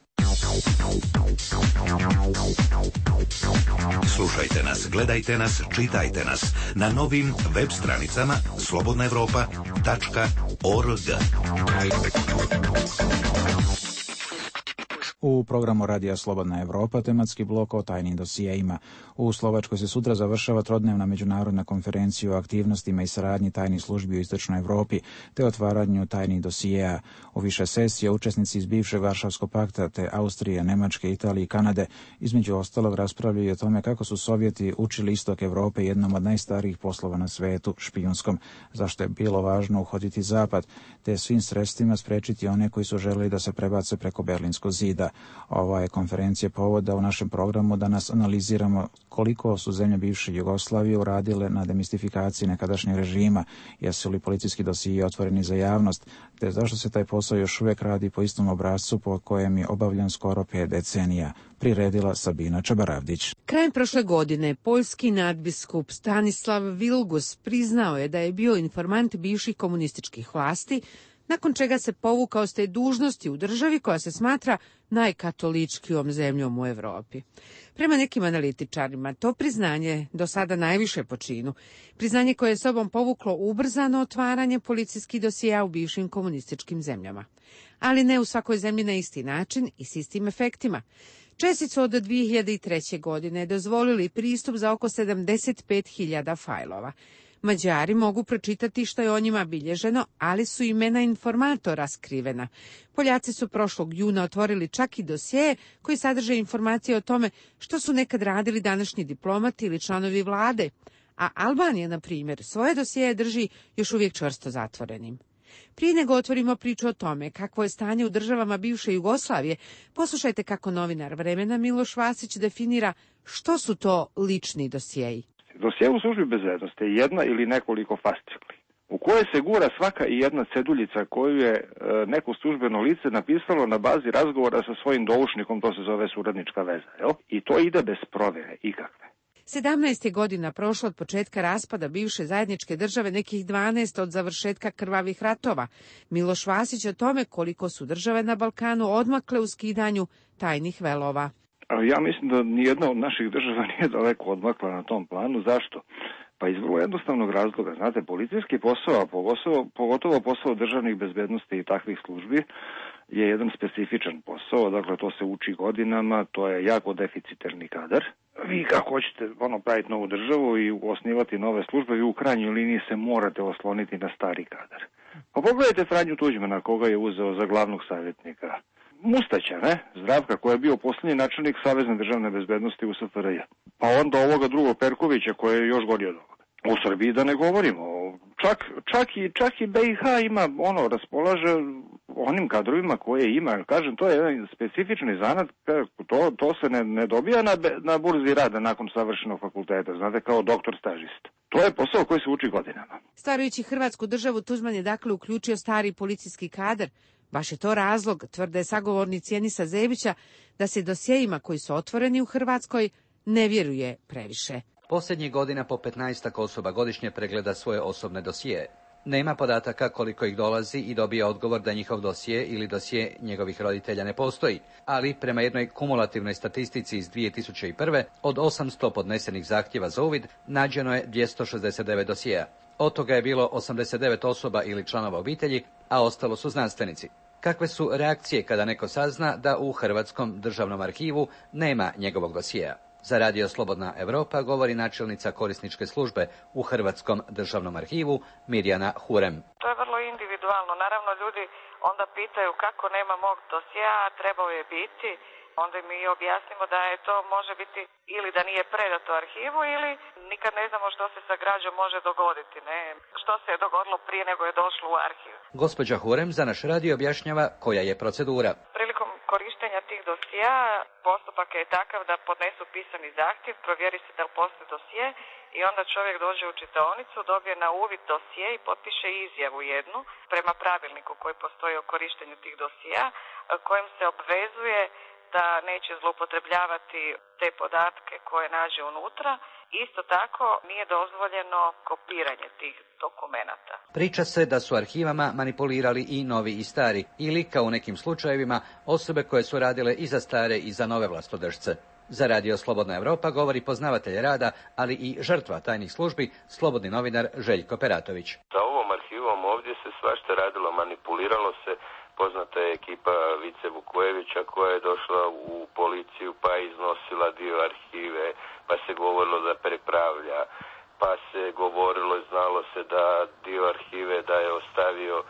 Slušajte nas, gledajte nas, čitajte nas na novim web stranicama slobodna evropa tačka org. U programu Radija Slobodna Evropa tematski blok o tajnim dosijeima. U Slovačkoj se sutra završava trodnevna međunarodna konferencija o aktivnostima i saradnji tajnih službi u Istočnoj Evropi te otvaranju tajnih dosijeja. U više sesija učesnici iz bivšeg Varšavskog pakta te Austrije, Nemačke, Italije i Kanade između ostalog raspravljaju o tome kako su Sovjeti učili istok Evrope jednom od najstarijih poslova na svetu, špijunskom, zašto je bilo važno uhoditi zapad te svim sredstvima sprečiti one koji su želeli da se prebace preko Berlinskog zida. Ova je konferencija povoda u našem programu da nas analiziramo koliko su zemlje bivše Jugoslavije uradile na demistifikaciji nekadašnjeg režima, jesu li policijski dosije otvoreni za javnost, te zašto se taj posao još uvijek radi po istom obrascu po kojem je obavljan skoro pet decenija, priredila Sabina Čabaravdić. Krajem prošle godine poljski nadbiskup Stanislav Vilgus priznao je da je bio informant bivših komunističkih vlasti, nakon čega se povukao s te dužnosti u državi koja se smatra najkatoličkijom zemljom u Evropi. Prema nekim analitičarima, to priznanje do sada najviše po činu. Priznanje koje je sobom povuklo ubrzano otvaranje policijskih dosija u bivšim komunističkim zemljama. Ali ne u svakoj zemlji na isti način i s istim efektima. Česi su od dvije hiljade treće. godine dozvolili pristup za oko sedamdeset pet hiljada fajlova. Mađari mogu pročitati što je o njima bilježeno, ali su imena informatora skrivena. Poljaci su prošlog juna otvorili čak i dosije koji sadrže informacije o tome što su nekad radili današnji diplomati ili članovi vlade, a Albanija, na primjer, svoje dosije drži još uvijek čvrsto zatvorenim. Prije nego otvorimo priču o tome kakvo je stanje u državama bivše Jugoslavije, poslušajte kako novinar Vremena Miloš Vasić definira što su to lični dosjeji. Dosije u službi bezbednosti je jedna ili nekoliko fascikli, u koje se gura svaka i jedna ceduljica koju je e, neko službeno lice napisalo na bazi razgovora sa svojim doušnikom, to se zove suradnička veza, jel? I to ide bez provjere ikakve. sedamnaest je godina prošlo od početka raspada bivše zajedničke države, nekih dvanaest od završetka krvavih ratova. Miloš Vasić o tome koliko su države na Balkanu odmakle u skidanju tajnih velova. Ja mislim da nijedna od naših država nije daleko odmakla na tom planu. Zašto? Pa iz vrlo jednostavnog razloga. Znate, policijski posao, pogotovo, pogotovo posao državnih bezbednosti i takvih službi, je jedan specifičan posao. Dakle, to se uči godinama, to je jako deficitarni kadar. Vi kako hoćete ono, praviti novu državu i osnivati nove službe, vi u krajnjoj liniji se morate osloniti na stari kadar. Pa pogledajte Franju Tuđmana, koga je uzeo za glavnog savjetnika. Mustaća, ne? Zdravka, koji je bio posljednji načelnik Savezne državne bezbednosti u S F R J. Pa onda ovoga drugog Perkovića, koji je još gori od ovoga. U Srbiji da ne govorimo. Čak, čak, i, čak i B i H ima, ono, raspolaže onim kadrovima koje ima. Kažem, to je jedan specifični zanat, to, to se ne, ne dobija na, na burzi rada nakon savršenog fakulteta, znate, kao doktor stažist. To je posao koji se uči godinama. Starajući Hrvatsku državu, Tuđman je dakle uključio stari policijski kadar. Baš je to razlog, tvrde sagovornici Enisa Zebića, da se dosjejima koji su otvoreni u Hrvatskoj ne vjeruje previše. Posljednjih godina po petnaestak osoba godišnje pregleda svoje osobne dosije. Nema podataka koliko ih dolazi i dobija odgovor da njihov dosije ili dosije njegovih roditelja ne postoji, ali prema jednoj kumulativnoj statistici iz dvije tisuće prve. od osamsto podnesenih zahtjeva za uvid nađeno je dvjesto šezdeset devet dosijeja. Od toga je bilo osamdeset devet osoba ili članova obitelji, a ostalo su znanstvenici. Kakve su reakcije kada neko sazna da u Hrvatskom državnom arhivu nema njegovog dosijeja? Za Radio Slobodna Evropa govori načelnica korisničke službe u Hrvatskom državnom arhivu Mirjana Hurem. To je vrlo individualno. Naravno, ljudi onda pitaju kako nema mog dosjea, trebao je biti. onda mi objasnimo da je to može biti ili da nije predato arhivu ili nikad ne znamo što se sa građom može dogoditi, ne? Što se je dogodilo prije nego je došlo u arhiv. Gospođa Hurem za naš radio objašnjava koja je procedura. Prilikom korištenja tih dosija postupak je takav da podnesu pisani zahtjev, provjeri se da li postoji dosije i onda čovjek dođe u čitaonicu, dobije na uvid dosije i potpiše izjavu jednu prema pravilniku koji postoji o korištenju tih dosija, kojim se obvezuje da neće zloupotrebljavati te podatke koje nađe unutra. Isto tako nije dozvoljeno kopiranje tih dokumenata. Priča se da su arhivama manipulirali i novi i stari, ili, kao u nekim slučajevima, osobe koje su radile i za stare i za nove vlastodržce. Za radio Slobodna Evropa govori poznavatelj rada, ali i žrtva tajnih službi, slobodni novinar Željko Peratović. Sa ovom arhivom ovdje se svašta radilo, manipuliralo se. Poznata je ekipa Vice Vukojevića koja je došla u policiju pa je iznosila dio arhive, pa se govorilo da prepravlja, pa se govorilo i znalo se da dio arhive da je ostavio e,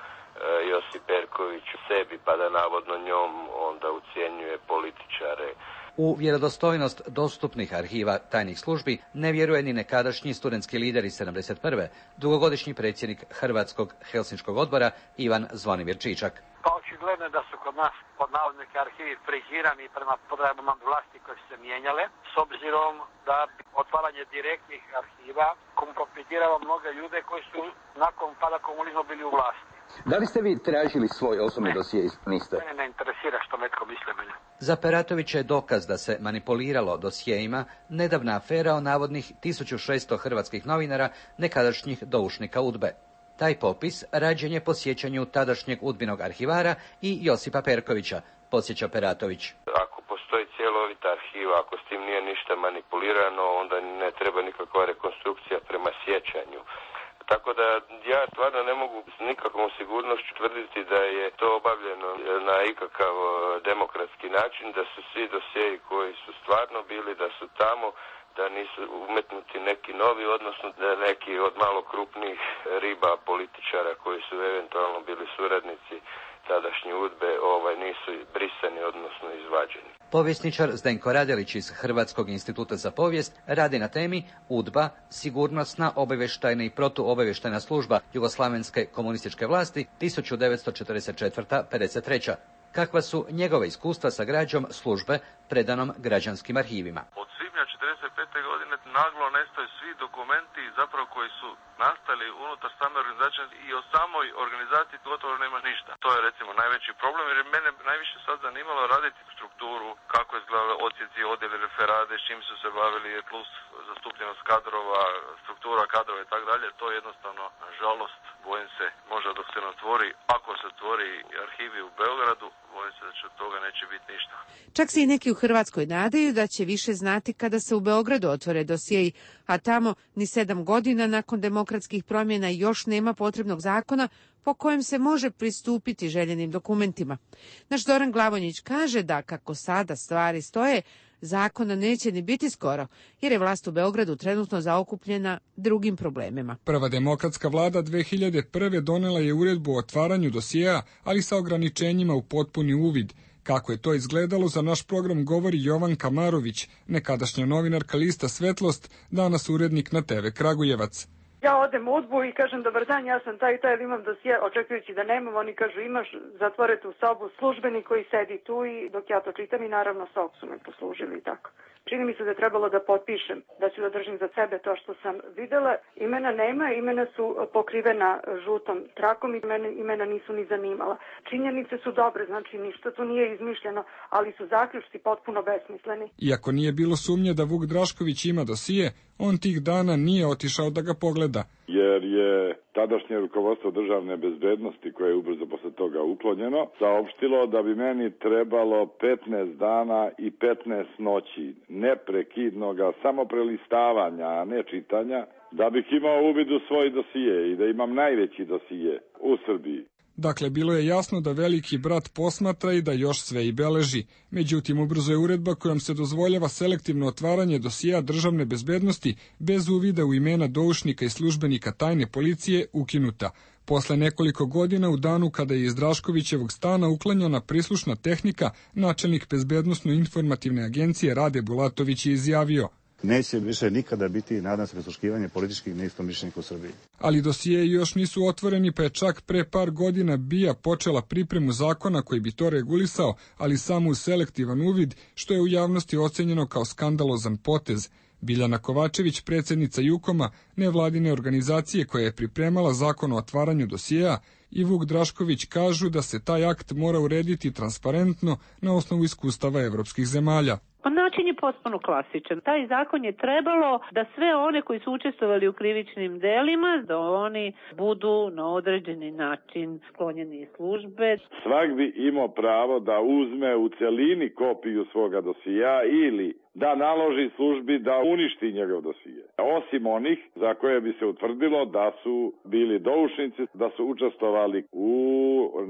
Josip Perković sebi, pa da navodno njom onda ucjenjuje političare. U vjerodostojnost dostupnih arhiva tajnih službi ne vjeruje ni nekadašnji studentski lider iz sedamdeset prve, dugogodišnji predsjednik Hrvatskog helsinškog odbora Ivan Zvonimir Čičak. Pa očigledno je da su kod nas pod navodnike arhivi frigirani prema potrebama vlasti koje su se mijenjale, s obzirom da otvaranje direktnih arhiva kompromitiralo mnoge ljude koji su nakon pada komunizma bili u vlasti. Da li ste vi tražili svoj osobni dosije? Niste? Mene ne interesira što netko misle mene. Za Peratovića je dokaz da se manipuliralo dosijejima nedavna afera o navodnih tisuću šesto hrvatskih novinara nekadašnjih doušnika UDBE. Taj popis rađen je po sjećanju tadašnjeg udbinog arhivara i Josipa Perkovića, podsjeća Peratović. Ako postoji cjelovita arhiva, ako s tim nije ništa manipulirano, onda ne treba nikakva rekonstrukcija prema sjećanju. Tako da ja stvarno ne mogu s nikakvom sigurnošću tvrditi da je to obavljeno na ikakav demokratski način, da su svi dosjeji koji su stvarno bili, da su tamo, da nisu umetnuti neki novi, odnosno da neki od malo krupnijih riba političara koji su eventualno bili suradnici tadašnji UDBE ovaj, nisu brisani, odnosno izvađeni. Povjesničar Zdenko Radelić iz Hrvatskog instituta za povijest radi na temi UDBA, sigurnosna, obavještajna i protuobavještajna služba Jugoslavenske komunističke vlasti tisuću devetsto četrdeset četvrte do pedeset treće Kakva su njegove iskustva sa građom službe predanom građanskim arhivima? Od svibnja četrdeset pete godine naglo nestaju svi dokumenti zapravo koji su nastali unutar same organizacije i o samoj organizaciji gotovo nema ništa. To je recimo najveći problem jer mene najviše sad zanimalo raditi strukturu, kako je izgledalo odsjeci, odjeli, referade, s čim su se bavili, plus zastupljenost kadrova, struktura kadrova i tako dalje. To je jednostavno, nažalost, bojim se, možda dok se ne otvori, ako se otvori arhivi u Beogradu, bojim se da će od toga neće biti ništa. Čak se i neki u Hrvatskoj nadaju da će više znati kada se u Beogradu otvore dosjei, a tamo ni sedam godina nakon demokratskih promjena još nema potrebnog zakona po kojem se može pristupiti željenim dokumentima. Naš Zoran Glavonjić kaže da kako sada stvari stoje, zakona neće ni biti skoro, jer je vlast u Beogradu trenutno zaokupljena drugim problemima. Prva demokratska vlada dve hiljade prve donela je uredbu o otvaranju dosjea, ali sa ograničenjima u potpuni uvid. Kako je to izgledalo, za naš program govori Jovan Kamarović, nekadašnja novinarka lista Svetlost, danas urednik na te ve Kragujevac. Ja odem u UDBU i kažem dobar dan, ja sam taj i taj, imam dosije, očekujući da nemam, oni kažu imaš, zatvore tu sobu, službenik koji sedi tu i dok ja to čitam i naravno sok su me poslužili i tako. Čini mi se da je trebalo da potpišem, da ću da držim za sebe to što sam videla. Imena nema, imena su pokrivena žutom trakom i mene imena nisu ni zanimala. Činjenice su dobre, znači ništa tu nije izmišljeno, ali su zaključci potpuno besmisleni. Iako nije bilo sumnje da Vuk Drašković ima dosije, on tih dana nije otišao da ga pogleda. Jer je tadašnje rukovodstvo državne bezbednosti, koje je ubrzo posle toga uklonjeno, saopštilo da bi meni trebalo petnaest dana i petnaest noći neprekidnoga samo prelistavanja, a ne čitanja, da bih imao uvid u svoj dosije i da imam najveći dosije u Srbiji. Dakle, bilo je jasno da veliki brat posmatra i da još sve i beleži. Međutim, ubrzo je uredba kojom se dozvoljava selektivno otvaranje dosija državne bezbednosti bez uvida u imena doušnika i službenika tajne policije ukinuta. Posle nekoliko godina, u danu kada je iz Draškovićevog stana uklanjana prislušna tehnika, načelnik Bezbednosno-informativne agencije Rade Bulatović je izjavio: Neće više nikada biti, nadam se, prisluškivanje političkih neistomišljenika u Srbiji. Ali dosijeji još nisu otvoreni, pa je čak pre par godina B I A počela pripremu zakona koji bi to regulisao, ali samo uz selektivan uvid, što je u javnosti ocenjeno kao skandalozan potez. Biljana Kovačević, predsjednica Jukoma, nevladine organizacije koja je pripremala zakon o otvaranju dosijeja, i Vuk Drašković kažu da se taj akt mora urediti transparentno na osnovu iskustava evropskih zemalja. Pa način je potpuno klasičan. Taj zakon je trebalo da sve one koji su učestvovali u krivičnim delima, da oni budu na određeni način sklonjeni iz službe. Svak bi imao pravo da uzme u celini kopiju svoga dosija ili da naloži službi da uništi njegov dosije. Osim onih za koje bi se utvrdilo da su bili doušnici, da su učestvovali u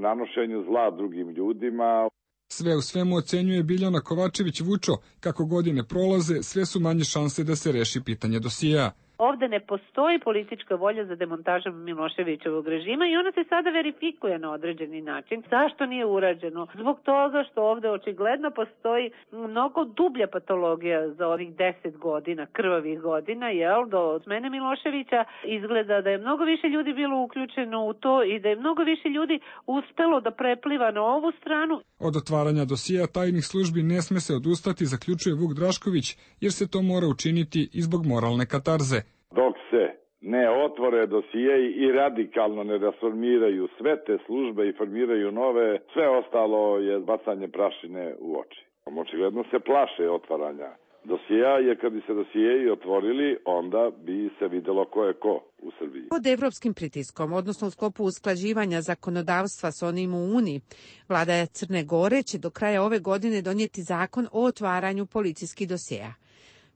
nanošenju zla drugim ljudima. Sve u svemu ocenjuje Biljana Kovačević Vučo, kako godine prolaze, sve su manje šanse da se reši pitanje dosijeja. Ovde ne postoji politička volja za demontažom Miloševićevog režima i ona se sada verifikuje na određeni način. Zašto nije urađeno? Zbog toga što ovde očigledno postoji mnogo dublja patologija za ovih deset godina, krvavih godina, jel, do smene Miloševića. Izgleda da je mnogo više ljudi bilo uključeno u to i da je mnogo više ljudi uspelo da prepliva na ovu stranu. Od otvaranja dosija tajnih službi ne sme se odustati, zaključuje Vuk Drašković, jer se to mora učiniti i zbog moralne katarze. Dok se ne otvore dosije i radikalno ne rasformiraju sve te službe i formiraju nove, sve ostalo je bacanje prašine u oči. Očigledno se plaše otvaranja dosija, jer kad bi se dosijeji otvorili, onda bi se videlo ko je ko u Srbiji. Pod evropskim pritiskom, odnosno u sklopu usklađivanja zakonodavstva s onim u Uniji, vlada Crne Gore će do kraja ove godine donijeti zakon o otvaranju policijskih dosijeja.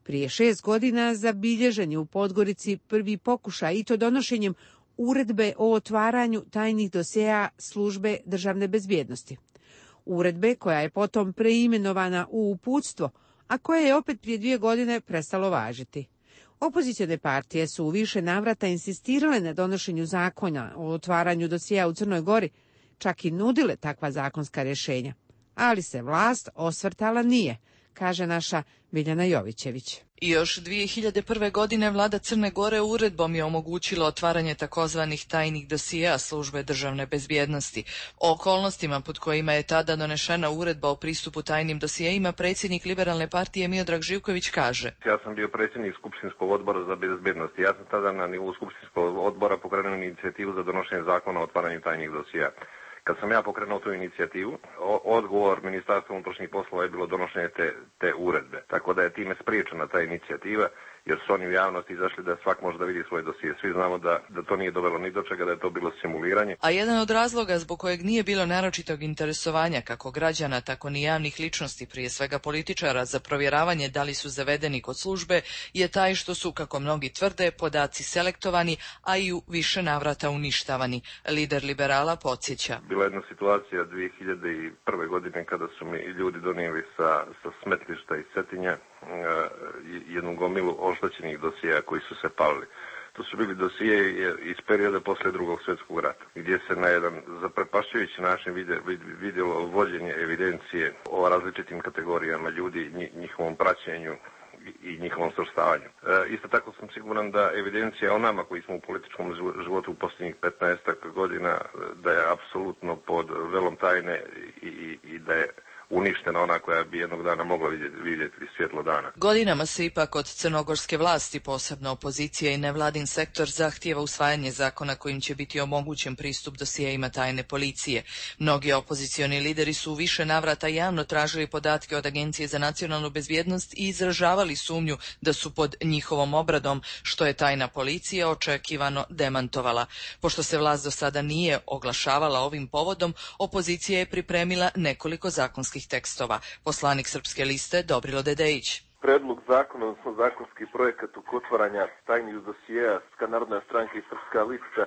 Prije šest godina zabilježen je u Podgorici prvi pokušaj, i to donošenjem uredbe o otvaranju tajnih dosjeja službe državne bezbjednosti. Uredbe koja je potom preimenovana u uputstvo, a koja je opet prije dvije godine prestalo važiti. Opozicione partije su u više navrata insistirale na donošenju zakona o otvaranju dosjeja u Crnoj Gori, čak i nudile takva zakonska rješenja. Ali se vlast osvrtala nije, kaže naša Biljana Jovićević. I još dvije hiljade prve. godine vlada Crne Gore uredbom je omogućila otvaranje takozvanih tajnih dosijeja službe državne bezbjednosti. O okolnostima pod kojima je tada donešena uredba o pristupu tajnim dosijejima predsjednik Liberalne partije Miodrag Živković kaže: Ja sam bio predsjednik Skupštinskog odbora za bezbjednost. Ja sam tada na nivou Skupštinskog odbora pokrenuo inicijativu za donošenje zakona o otvaranju tajnih dosijeja. Kad sam ja pokrenuo tu inicijativu, odgovor Ministarstva unutrašnjih poslova je bilo donošenje te, te uredbe. Tako da je time spriječena ta inicijativa, jer su oni u javnosti izašli da svak može da vidi svoje dosije. Svi znamo da, da to nije dovelo ni do čega, da je to bilo simuliranje. A jedan od razloga zbog kojeg nije bilo naročitog interesovanja kako građana, tako ni javnih ličnosti, prije svega političara, za provjeravanje da li su zavedeni kod službe, je taj što su, kako mnogi tvrde, podaci selektovani, a i u više navrata uništavani. Lider liberala podsjeća: Bila jedna situacija dvije hiljade prve. godine kada su mi ljudi donijeli sa, sa smetlišta iz Cetinja jednu gomilu oštećenih dosija koji su se palili. To su bili dosije iz perioda posle drugog svjetskog rata, gdje se na jedan zaprepašćujući način vidjelo vođenje evidencije o različitim kategorijama ljudi, njihovom praćenju i njihovom svrstavanju. E, isto tako sam siguran da evidencija o nama koji smo u političkom životu u posljednjih petnaestak godina, da je apsolutno pod velom tajne i, i, i da je uništena ona koja bi jednog dana mogla vidjeti, vidjeti svjetlo dana. Godinama se ipak od crnogorske vlasti, posebno opozicija i nevladin sektor, zahtijeva usvajanje zakona kojim će biti omogućen pristup dosijejima tajne policije. Mnogi opozicioni lideri su u više navrata javno tražili podatke od Agencije za nacionalnu bezbjednost i izražavali sumnju da su pod njihovom obradom, što je tajna policija očekivano demantovala. Pošto se vlast do sada nije oglašavala ovim povodom, opozicija je pripremila nekoliko zakonskih tekstova. Poslanik Srpske liste Dobrilo Dedejić. Predlog zakona, odnosno zakonski projekat oko otvaranja tajnih dosijeja Srpska narodna stranka i Srpska lista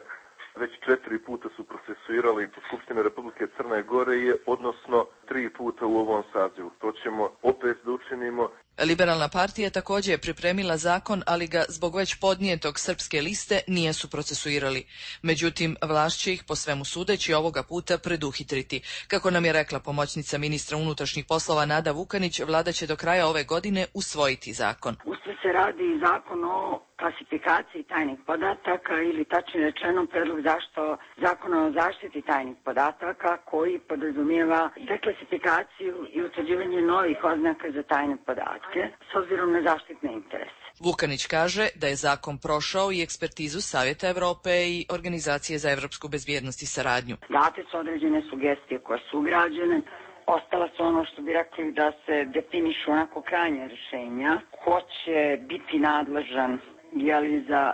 već četiri puta su procesuirali po Skupštini Republike Crne Gore, je, odnosno tri puta u ovom sazivu. To ćemo opet da učinimo. Liberalna partija također je pripremila zakon, ali ga zbog već podnijetog Srpske liste nijesu procesuirali. Međutim, vlast će ih po svemu sudeći ovoga puta preduhitriti. Kako nam je rekla pomoćnica ministra unutrašnjih poslova Nada Vukanić, vlada će do kraja ove godine usvojiti zakon. Usto se radi zakon o klasifikaciji tajnih podataka ili tačnije rečeno predlog zašto zakona o zaštiti tajnih podataka koji podrazumijeva deklasifikaciju i utvrđivanje novih oznaka za tajne podatke s obzirom na zaštitne interese. Vukanić kaže da je zakon prošao i ekspertizu Savjeta Evrope i Organizacije za evropsku bezbjednost i saradnju. Date su određene sugestije koje su ugrađene. Ostala su ono što bi rekli da se definišu onako krajnje rješenja. Ko će biti nadležan jeli za,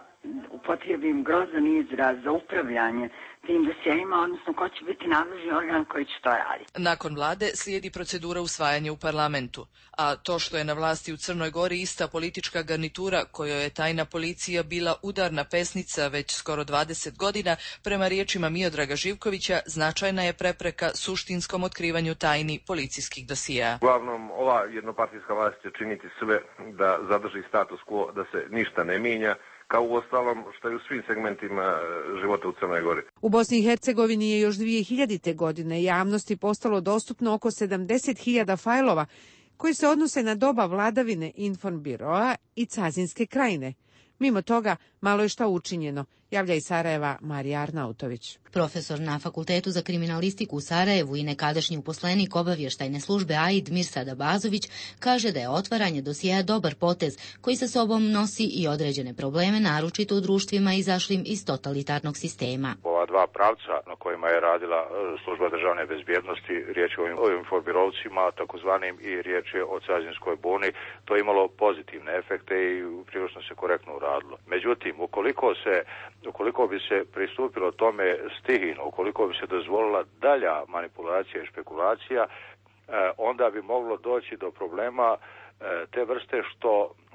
upotrijebim grozan izraz, za upravljanje tim dosjeima, odnosno ko će biti nadležni organ koji će to raditi. Nakon vlade slijedi procedura usvajanja u parlamentu, a to što je na vlasti u Crnoj Gori ista politička garnitura kojoj je tajna policija bila udarna pesnica već skoro dvadeset godina, prema riječima Miodraga Živkovića, značajna je prepreka suštinskom otkrivanju tajni policijskih dosija. Uglavnom, ova jednopartijska vlast će činiti sve da zadrži status quo, da se ništa ne mijenja, kao u ostalom što je u svim segmentima života u Crnoj Gori. U Bosni i Hercegovini je još dvije hiljadite. godine javnosti postalo dostupno oko sedamdeset hiljada fajlova koji se odnose na doba vladavine Informbiroa i Cazinske krajine. Mimo toga, malo je šta učinjeno, javlja iz Sarajeva Marija Arnautović. Profesor na Fakultetu za kriminalistiku u Sarajevu i nekadašnji uposlenik obavještajne službe A I D Mirsad Abazović kaže da je otvaranje dosjea dobar potez koji sa sobom nosi i određene probleme, naročito u društvima izašlim iz totalitarnog sistema. Ova dva pravca na kojima je radila služba državne bezbjednosti, riječ je o informirovcima, takozvanim, i riječ je o Cazinskoj buni, to je imalo pozitivne efekte i prilično se korektno uradilo. Međutim, ukoliko se ukoliko bi se pristupilo tome stihijno, ukoliko bi se dozvolila dalja manipulacija i špekulacija, onda bi moglo doći do problema te vrste što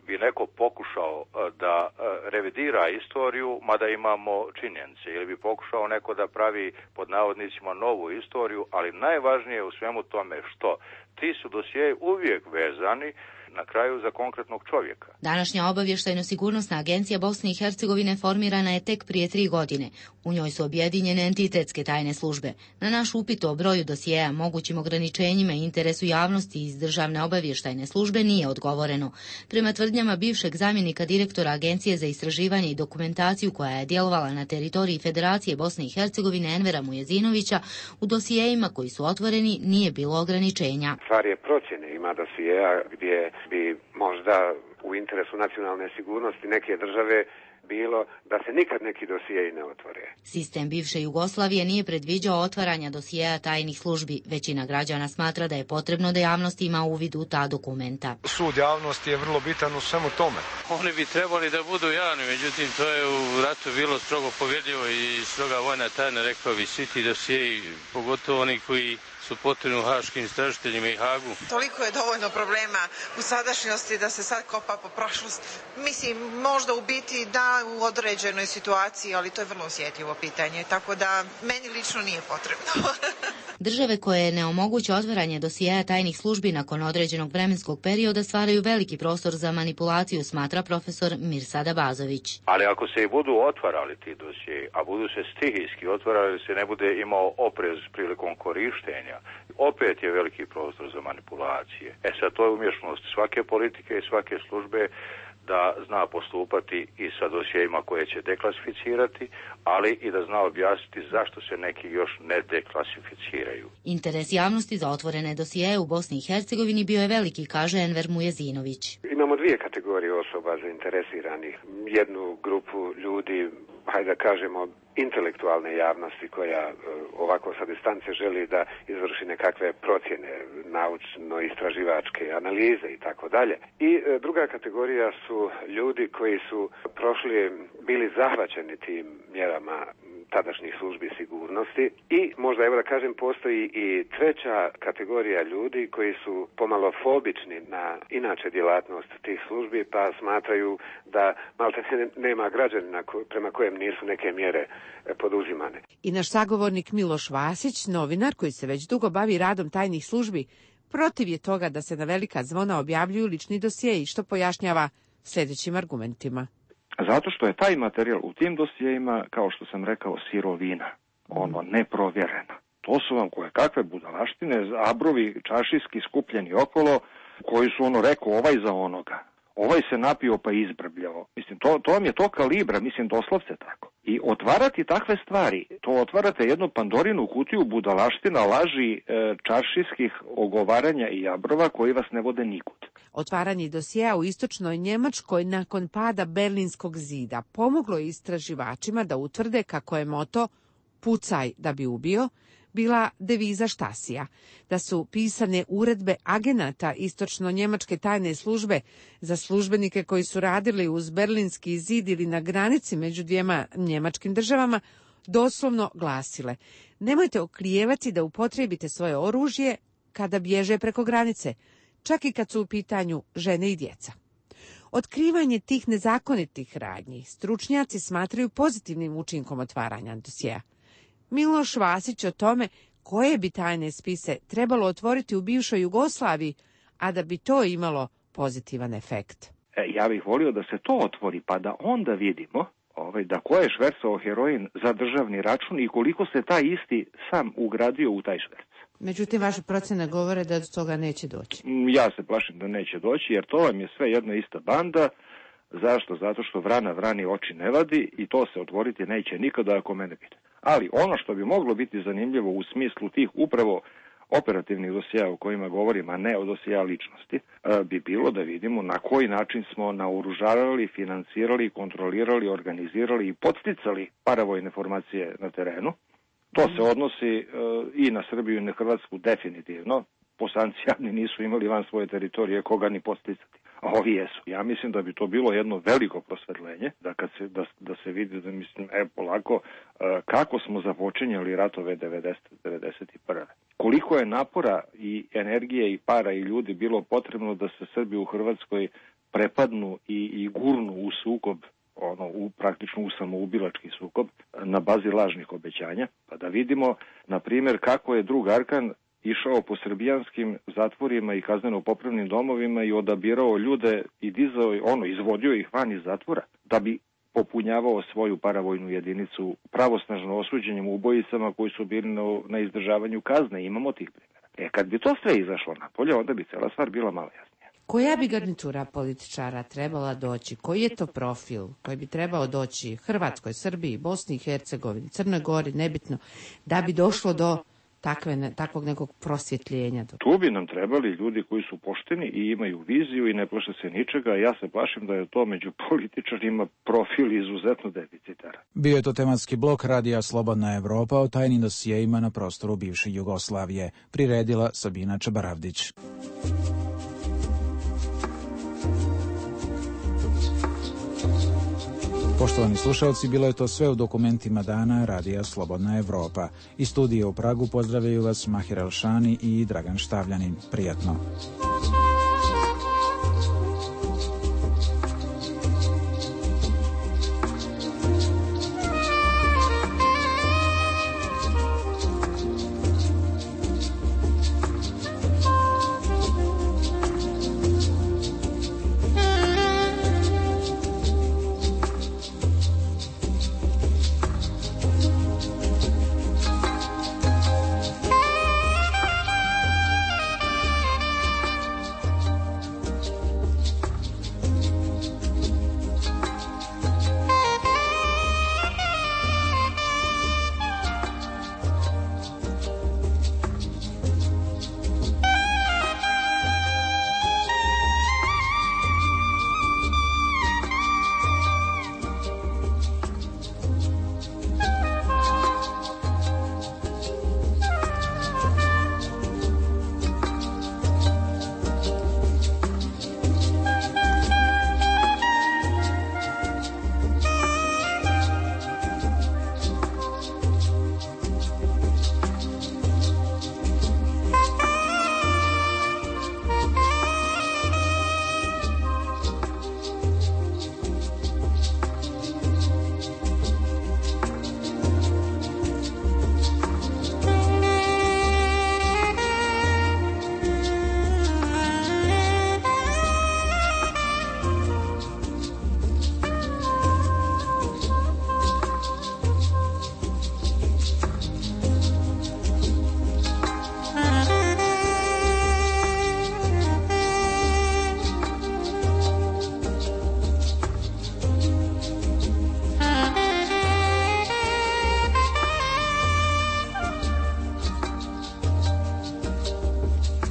bi neko pokušao da revidira istoriju, mada imamo činjenice, ili bi pokušao neko da pravi pod navodnicima novu istoriju, ali najvažnije u svemu tome što ti su dosjei uvijek vezani na kraju za konkretnog čovjeka. Današnja obavještajno-sigurnosna agencija Bosne i Hercegovine formirana je tek prije tri godine. U njoj su objedinjene entitetske tajne službe. Na naš upit o broju dosjeja, mogućim ograničenjima i interesu javnosti iz državne obavještajne službe nije odgovoreno. Prema tvrdnjama bivšeg zamjenika direktora Agencije za istraživanje i dokumentaciju koja je djelovala na teritoriji Federacije Bosne i Hercegovine Envera Mujezinovića, u dosijejima koji su otvoreni nije bilo ograničenja. Stvar je procjene, ima dosijeja gdje bi možda u interesu nacionalne sigurnosti neke države bilo da se nikad neki dosijei ne otvore. Sistem bivše Jugoslavije nije predviđao otvaranja dosijeja tajnih službi. Većina građana smatra da je potrebno da javnost ima uvid u ta dokumenta. Sud javnosti je vrlo bitan u svemu tome. Oni bi trebali da budu javni, međutim to je u ratu bilo strogo povjedljivo i stroga vojna tajna, rekao bi, svi ti dosijeji, pogotovo oni koji su potrebni haškim istražiteljima i Hagu. Toliko je dovoljno problema u sadašnjosti da se sad kopa po prošlosti. Mislim, možda u biti da u određenoj situaciji, ali to je vrlo osjetljivo pitanje, tako da meni lično nije potrebno. Države koje ne omoguće otvaranje dosijeja tajnih službi nakon određenog vremenskog perioda stvaraju veliki prostor za manipulaciju, smatra profesor Mirsad Abazović. Ali ako se i budu otvarali ti dosjeji, a budu se stihijski otvarali, se ne bude imao oprez prilikom korištenja, opet je veliki prostor za manipulacije. E sad, to je umješnost svake politike i svake službe da zna postupati i sa dosjejima koje će deklasificirati, ali i da zna objasniti zašto se neki još ne deklasificiraju. Interes javnosti za otvorene dosjeje u Bosni i Hercegovini bio je veliki, kaže Enver Mujezinović. Imamo dvije kategorije osoba zainteresiranih. Jednu grupu ljudi, hajde da kažemo, intelektualne javnosti koja ovako sa distance želi da izvrši nekakve procjene, naučno-istraživačke analize i tako dalje. I druga kategorija su ljudi koji su prošli, bili zahvaćeni tim mjerama tadašnjih službi sigurnosti. I možda, evo da kažem, postoji i treća kategorija ljudi koji su pomalo fobični na inače djelatnost tih službi, pa smatraju da malte nema građanina prema kojem nisu neke mjere poduzimane. I naš sagovornik Miloš Vasić, novinar koji se već dugo bavi radom tajnih službi, protiv je toga da se na velika zvona objavljuju lični dosjei, što pojašnjava sljedećim argumentima. Zato što je taj materijal u tim dosjeima, kao što sam rekao, sirovina, ono neprovjerena. To su vam koje kakve budalaštine, abrovi čašijski skupljeni okolo, koji su ono rekao ovaj za onoga. Ovaj se napio pa izbrbljao. Mislim, to, to vam je to kalibra, mislim, doslovce tako. I otvarati takve stvari, to otvarate jednu Pandorinu kutiju budalaština, laži, e, čaršijskih ogovaranja i abrova koji vas ne vode nikud. Otvaranje dosjea u istočnoj Njemačkoj nakon pada Berlinskog zida pomoglo je istraživačima da utvrde kako je moto "pucaj da bi ubio" bila deviza Štasija, da su pisane uredbe agenata istočno-njemačke tajne službe za službenike koji su radili uz Berlinski zid ili na granici među dvijema njemačkim državama, doslovno glasile: nemojte oklijevati da upotrijebite svoje oružje kada bježe preko granice, čak i kad su u pitanju žene i djeca. Otkrivanje tih nezakonitih radnji stručnjaci smatraju pozitivnim učinkom otvaranja dosjea. Miloš Vasić o tome koje bi tajne spise trebalo otvoriti u bivšoj Jugoslaviji, a da bi to imalo pozitivan efekt. E, ja bih volio da se to otvori, pa da onda vidimo ovaj, da ko je švercao heroin za državni račun i koliko se taj isti sam ugradio u taj šverc. Međutim, vaše procene govore da do toga neće doći. Ja se plašim da neće doći, jer to vam je sve jedna ista banda. Zašto? Zato što vrana vrani oči ne vadi i to se otvoriti neće nikada ako mene pita. Ali ono što bi moglo biti zanimljivo u smislu tih upravo operativnih dosjea o kojima govorim, a ne o dosjea ličnosti, bi bilo da vidimo na koji način smo naoružavali, financirali, kontrolirali, organizirali i podsticali paravojne formacije na terenu. To se odnosi i na Srbiju i na Hrvatsku definitivno. Bosanci jadni nisu imali van svoje teritorije koga ni podsticati. A ovi jesu. Ja mislim da bi to bilo jedno veliko prosvetljenje, da, kad se, da, da se vidi, da mislim, e, polako, kako smo započinjali ratove devedesete devedeset prve Koliko je napora i energije i para i ljudi bilo potrebno da se Srbi u Hrvatskoj prepadnu i, i gurnu u sukob, ono, u, praktično u samoubilački sukob, na bazi lažnih obećanja, pa da vidimo, na primjer, kako je drug Arkan išao po srbijanskim zatvorima i kazneno-popravnim domovima i odabirao ljude i dizao, ono, izvodio ih van iz zatvora, da bi popunjavao svoju paravojnu jedinicu pravosnažno osuđenim ubojicama koji su bili na, na izdržavanju kazne. Imamo tih primjera. E, kad bi to sve izašlo napolje, onda bi cela stvar bila malo jasnija. Koja bi garnitura političara trebala doći? Koji je to profil koji bi trebao doći Hrvatskoj, Srbiji, Bosni i Hercegovini, Crnoj Gori, nebitno, da bi došlo do Takve, takvog nekog prosvjetljenja? Tu bi nam trebali ljudi koji su pošteni i imaju viziju i ne plaše se ničega. Ja se plašim da je to među političarima profil izuzetno deficitara. Bio je to tematski blok Radija Slobodna Evropa o tajnim dosjejima na prostoru bivše Jugoslavije. Priredila Sabina Čabaravdić. Poštovani slušalci, bilo je to sve u dokumentima dana Radija Slobodna Evropa. Iz studija u Pragu pozdravljaju vas Mahir Elšani i Dragan Štavljanin. Prijatno.